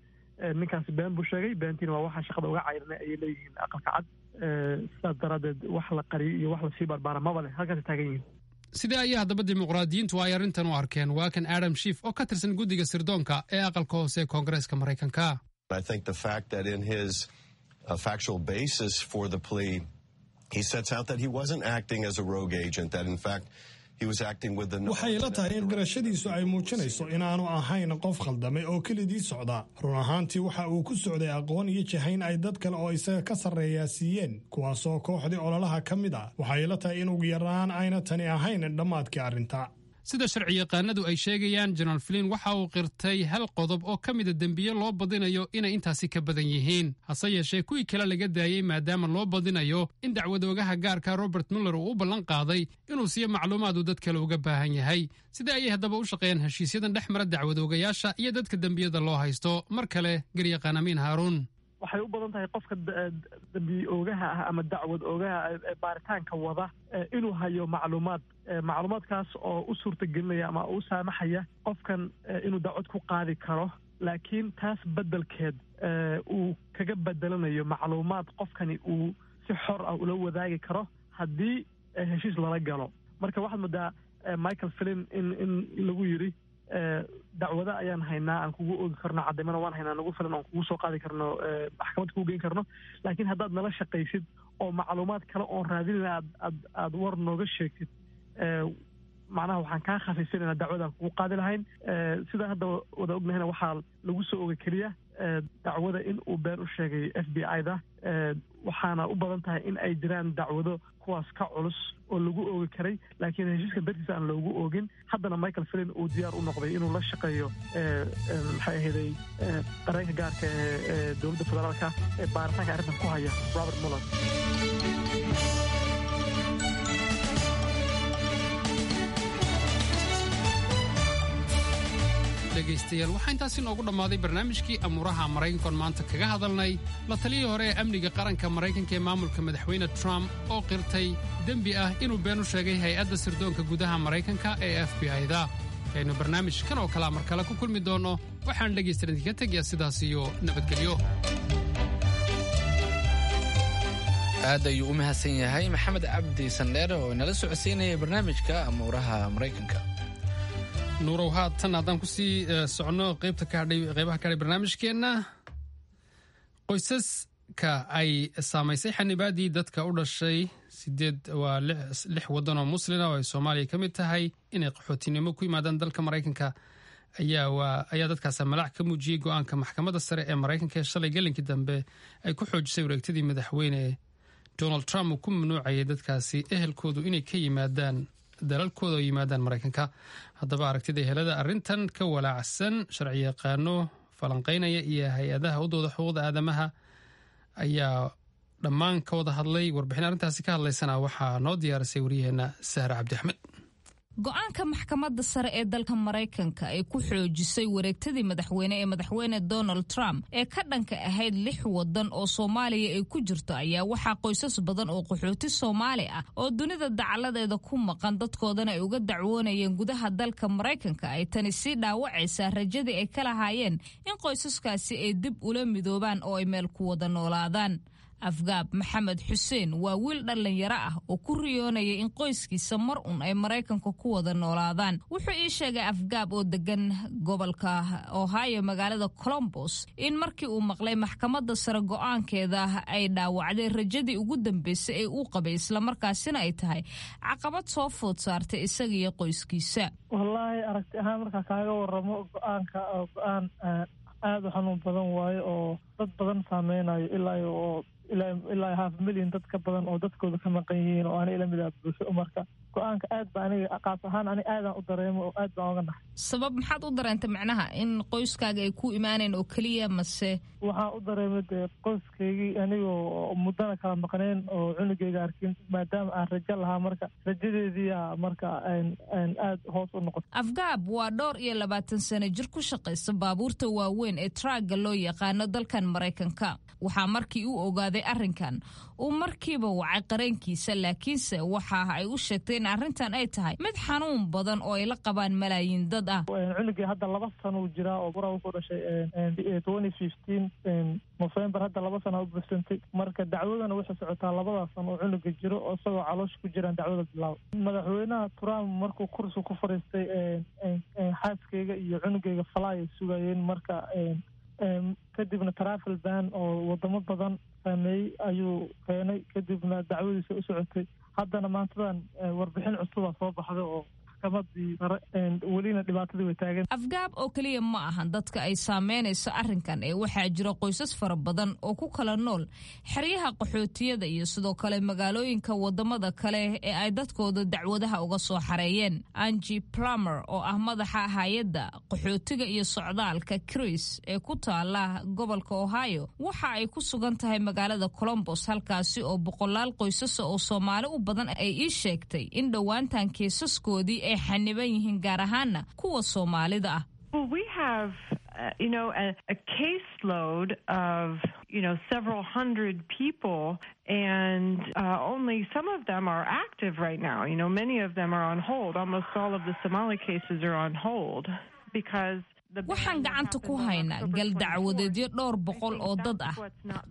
Ninkaasi been buu sheegay, beentiina waa waxaan shaqada uga cayrinay, ayay leeyihiin Aqalka Cad. Sidaas daraaddeed wax la qariyo iyo wax lasii barbaara maba leh, halkaasay taagan yihiin. Sidee ayaa haddaba dimuqraadiyiintu ay arrintan u arkeen? Waa kan Adam Schiff oo ka tirsan guddiga sirdoonka ee aqalka hoose ee Koongareeska Maraykanka. I think the fact that in his factual basis for the plea, he sets out that he wasn't acting as a rogue agent, that in fact he was acting with the Waxay ila tahay in qirashadiisu ay muujinayso inaanu ahayn qof khaldamay oo kelidii socda. Run ahaantii waxa uu ku socday aqoon iyo jahayn ay dad kale oo isaga ka sarreeyaa siiyeen, kuwaasoo kooxdii ololaha ka mid ah. Waxay ila tahay in ugu yaraan ayna tani ahayn dhammaadkii arrinta. Sida sharci yaqaanadu ay sheegayaan, General Flynn waxa uu qirtay hal qodob oo ka mida dembiye loo badinayo inay intaasi ka badan yihiin, hase yeeshee kuwii kale laga daayey maadaama loo badinayo in dacwadoogaha gaarka Robert Muller uu u ballan qaaday inuu siiyo macluumaad uu dad kale uga baahan yahay. Sidee ayay haddaba u shaqeeyaan heshiisyadan dhex mara dacwadoogayaasha iyo dadka dembiyada loo haysto? Mar kale garyaqaan Amiin Haaruun. Waxay u badan tahay qofka dambi oogaha ah ama dacwad oogaha ee baaritaanka wada inuu hayo macluumaad, macluumaadkaas oo u suurtagelinaya ama u saamaxaya qofkan inuu dacwad ku qaadi karo, laakiin taas beddelkeed uu kaga bedelanayo macluumaad qofkani uu si xor ah ula wadaagi karo haddii heshiis lala galo. Marka waxaad moodaa Michael Flynn in lagu yidhi dacwada ayaan haynaa aan kugu oogi karno, cadaymana waan haynaa nagu filan oon kugu soo qaadi karno, maxkamad kugu geyn karno, laakiin haddaad nala shaqaysid oo macluumaad kale oon raadinayna aad aad war nooga sheegtid, macnaha waxaan kaa khafiifinayna dacwadaan kugu qaadi lahayn. Sidaan hadda wada ognahayna, waxaa lagu soo ogay keliya dacwada in uu been u sheegay FBI-da, waxaana u badan tahay in ay jiraan dacwado kuwaas ka culus oo lagu oogi karay, laakiin heshiiska dartiisa aan loogu oogin. Haddana Michael Flynn uu diyaar u noqday inuu la shaqeeyo, maxay ahayday, qareenka gaarka ee dowladda federaalka ee baaritaanka arrintan ku haya, Robert Mueller. Dhegaystayaal, waxaa intaasi noogu dhammaaday barnaamijkii amuuraha Maraykankoon maanta kaga hadalnay la taliyii hore ee amniga qaranka Maraykanka ee maamulka madaxweyne Trump oo qirtay dembi ah inuu been u sheegay hay-adda sirdoonka gudaha Maraykanka ee FBI-da. Aynu barnaamijkan oo kalea mar kale ku kulmi doonno, waxaan dhegaystayan idinka tegayaa sidaas iyo nabadgelyo. Aad ayuu u mahadsan yahay Maxamed Cabdi Sandheere oo inala socodsiinaya barnaamijka amuuraha Maraykanka. Nuurow, haatan haddaan kusii soconno qaybta ka hadhay, qeybaha ka hadhay barnaamijkeenna, qoysaska ay saamaysay xanibaadii dadka u dhashay sideed waa lix waddan oo muslina oo ay Soomaaliya ka mid tahay inay qaxootinimo ku yimaadaan dalka Maraykanka ayaa dadkaas malaac ka muujiyey go-aanka maxkamadda sare ee Maraykanka ee shalay gelinkii dambe ay ku xoojisay wareegtadii madaxweyne Donald Trump uu ku mamnuucayay dadkaasi ehelkoodu inay ka yimaadaan dalalkooda oo yimaadaan Maraykanka. Haddaba, aragtida ehelada arrintan ka walaacsan, sharciyaqaano falanqaynaya iyo hay-adaha u dooda xuquuqda aadamaha ayaa dhammaan ka wada hadlay. Warbixin arrintaasi ka hadlaysana waxaa noo diyaarisay waryaheena Sahra Cabdi Axmed. Go-aanka maxkamadda sare ee dalka Maraykanka ay ku xoojisay wareegtadii madaxweyne ee madaxweyne Donald Trump ee ka dhanka ahayd lix wadan oo Soomaaliya ay ku jirto ayaa waxaa qoysas badan oo qaxooti Soomaali ah oo dunida dacaladeeda ku maqan, dadkoodana ay uga dacwoonayeen gudaha dalka Maraykanka, ay tani sii dhaawacaysaa rajadii ay ka lahaayeen in qoysaskaasi ay dib ula midoobaan oo ay meel ku wada noolaadaan. Afgaab Maxamed Xuseen waa wiil dhallinyaro ah oo ku riyoonaya in qoyskiisa mar un ay Maraykanka ku wada noolaadaan. Wuxuu ii sheegay Afgaab oo degan gobolka Ohio, magaalada Colombos, in markii uu maqlay maxkamadda sare go-aankeeda ay dhaawacday rajadii ugu dambeysay ee uu qabay, islamarkaasina ay tahay caqabad soo food saartay isaga iyo qoyskiisa. Wallaahi, aragti ahaan markaa kaaga waramo, go-aanka go-aan aada u xanuun badan waayo oo dad badan saameynayo, ilaa half million dad ka badan oo dadkooda ka maqan yihiin oo ani ila mid ah buuxo. Marka go-aanka aad ba aniga qaas ahaan ani aadaan u dareemo oo aad baan oga naxay. Sabab maxaad u dareentay, macnaha in qoyskaaga ay ku imaaneen oo keliya mase? Waxaan u dareemay dee qoyskaygii anigoo muddana kala maqneen oo cunugayga arkin, maadaama aan rajo lahaa, marka rajadeediiyaa marka aad hoos u noqotay. Afgaab waa dhowr iyo 20 sano jir ku shaqaysta baabuurta waaweyn ee truck-ga loo yaqaano dalkan Maraykanka. Waxaa markii uu ogaaday arrinkan uu markiiba wacay qareenkiisa, laakiinse waxa ay u sheegtay in arrintan ay tahay mid xanuun badan oo ay la qabaan malaayiin dad ah. Cunugii hadda 2 sano uu jiraa oo bura wuxuu dhashay 2015 November, hadda 2 sana u buuxsantay. Marka dacwadana waxay socotaa labadaas sano oo cunuga jiro, oo isagoo caloosha ku jiraan dacwada bilaaba. Madaxweynaha Trump markuu kursi ku fadhiistay, xaaskayga iyo cunugayga fly ay sugayeen. Marka kadibna travel ban oo wadamo badan saameeyey ayuu keenay, kadibna dacwadiisa u socotay. Haddana maantadan warbixin cusuba soo baxday oo maxkamadii sare, welina dhibaatadii way taagan. Afgaab oo keliya ma ahan dadka ay saameynayso arrinkan ee waxaa jira qoysas fara badan oo ku kala nool xeryaha qaxootiyada iyo sidoo kale magaalooyinka wadamada kale ee ay dadkooda dacwadaha uga soo xareeyeen. Angie Plummer oo ah madaxa hay-adda qaxootiga iyo socdaalka CRIS ee ku taala gobolka Ohio, waxa ay ku sugan tahay magaalada Colombos, halkaasi oo boqolaal qoysasa oo Soomaali u badan ay ii sheegtay in dhowaantan kiisaskoodii ay xaniban yihiin, gaar ahaana kuwa Soomaalida ah. Well, we have, a caseload of, several hundred people, and only some of them are active right now. Many of them are on hold. Almost all of the Somali cases are on hold because Waxaan gacanta ku haynaa gal dacwadeedyo dhowr boqol oo dad ah.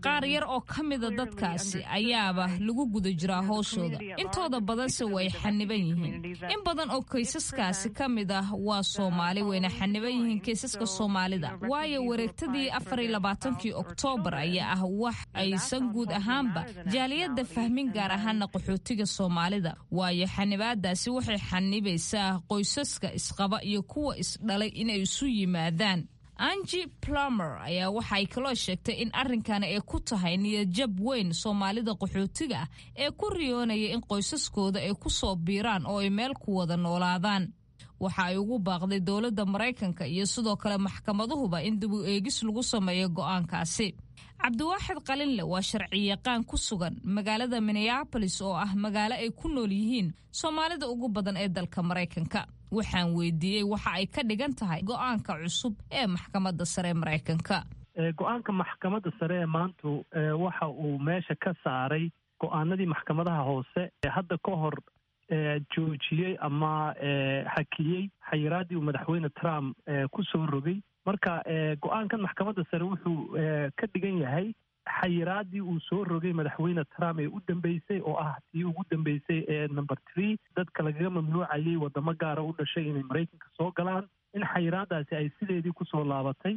Qaar yar oo ka mida dadkaasi ayaaba lagu guda jiraa howshooda, intooda badanse way xaniban yihiin. In badan oo kaysaskaasi ka mid ah waa Soomaali, wayna xaniban yihiin kaysaska Soomaalida, waayo wareegtadii 24-kii Oktoobar ayaa ah wax aysan guud ahaanba jaaliyadda fahmin, gaar ahaana qaxootiga Soomaalida, waayo xanibaadaasi waxay xanibaysaa qoysaska isqaba iyo kuwa isdhalay inay isu yimaadaan. Angi Plumer ayaa waxay kaloo sheegtay in arrinkani ay ku tahay niyadjab weyn Soomaalida qaxootiga ah ee ku riyoonaya in qoysaskooda ay ku soo biiraan oo ay meel ku wada noolaadaan. Waxa ay ugu baaqday dowladda Maraykanka iyo sidoo kale maxkamaduhuba in dib u eegis lagu sameeyo go'aankaasi. Cabdiwaaxid Qalinle waa sharciyaqaan ku sugan magaalada Minneapolis, oo ah magaalo ay ku nool yihiin Soomaalida ugu badan ee dalka Maraykanka. Waxaan weydiiyey waxa ay ka dhigan tahay go'aanka cusub ee Maxkamadda Sare ee Maraykanka. Go-aanka Maxkamadda Sare ee maantu waxa uu meesha ka saaray go-aanadii maxkamadaha hoose ee hadda ka hor joojiyey ama xakiyey xayiraaddii uu Madaxweyne Trump ku soo rogay. Marka go-aankan Maxkamadda Sare wuxuu ka dhigan yahay xayiraaddii uu soo rogay Madaxweyne Trump ee u dambeysay, oo ah tii ugu dambeysay ee number 3, dadka lagaga mamnuucayay wadamo gaara u dhashay inay Maraykanka soo galaan, in xayiraaddaasi ay sideedii kusoo laabatay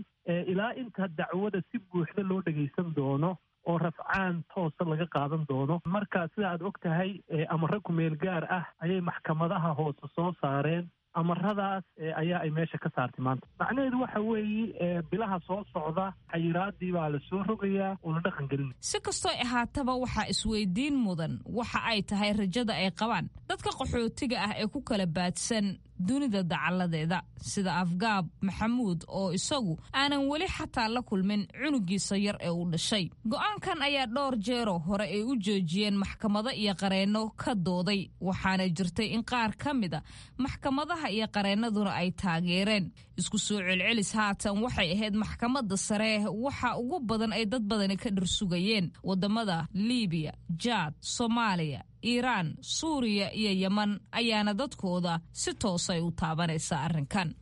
ilaa inta dacwada si buuxda loo dhagaysan doono oo rafcaan toosa laga qaadan doono. Marka sida aad og tahay, amaro kumeel gaar ah ayay maxkamadaha hoose soo saareen. Amaradaas ayaa ay meesha ka saartay maanta. Macnaheedu waxa weeye bilaha soo socda xayiraadii baa la soo rogayaa oo la dhaqan gelinaya. Si kastoo ahaataba, waxaa isweydiin mudan waxa ay tahay rajada ay qabaan dadka qaxootiga ah ee ku kala baadsan dunida dacalladeeda, sida Afgaab Maxamuud oo isagu aanan weli xataa la kulmin cunugiisa yar ee uu dhashay. Go'aankan ayaa dhowr jeero hore ay u joojiyeen maxkamado iyo qareenno ka dooday, waxaana jirtay in qaar ka mida maxkamadaha iyo qareennaduna ay taageereen. Isku soo celcelis, haatan waxay ahayd Maxkamadda Sare waxa ugu badan ay dad badani ka dhirsugayeen. Wadamada Liibiya, Jaad, Soomaaliya, Iiraan, Suuriya iyo Yeman ayaana dadkooda si toosay u taabanaysa arrinkan.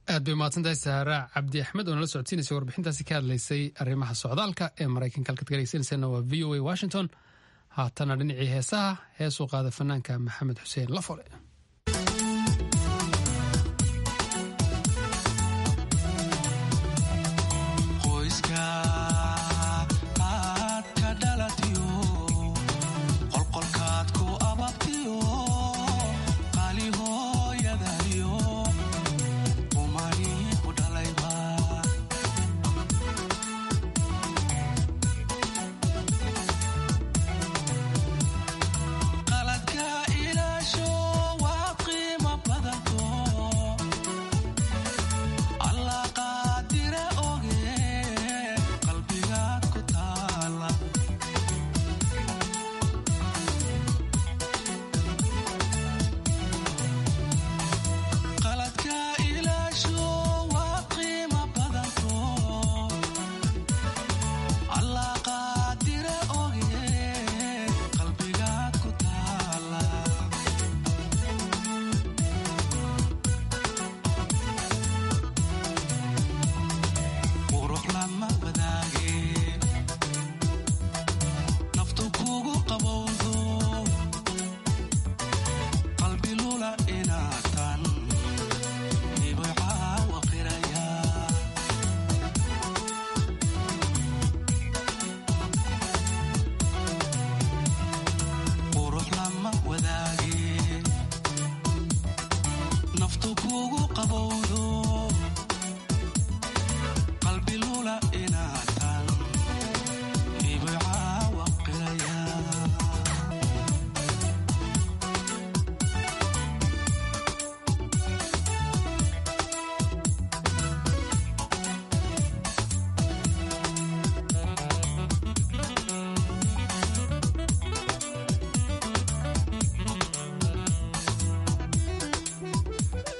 Aad bay umahadsantahay Saara Cabdi Axmed oo nala socodsiinaysa warbixintaasi ka hadlaysay arrimaha socdaalka ee Maraykanka. Halkaad ka dhegeysaneysana waa VOA Washington. Haatana dhinacii heesaha, heesuu qaada fanaanka Maxamed Xuseen Lafole.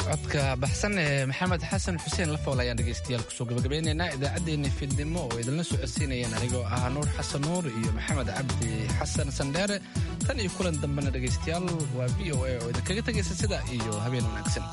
Codka baxsan ee Maxamed Xasan Xuseen Lafool ayaan dhegaystayaal kusoo gabagabeynaynaa idaacaddeenna fiidnimo oo idinla socodsiinayeen anigoo ah Nuur Xasan Nuur iyo Maxamed Cabdi Xasan Sandheere. Tan iyo kulan dambena dhegaystayaal, waa VOA oo idinkaga tegaysa sida iyo habeen wanaagsan.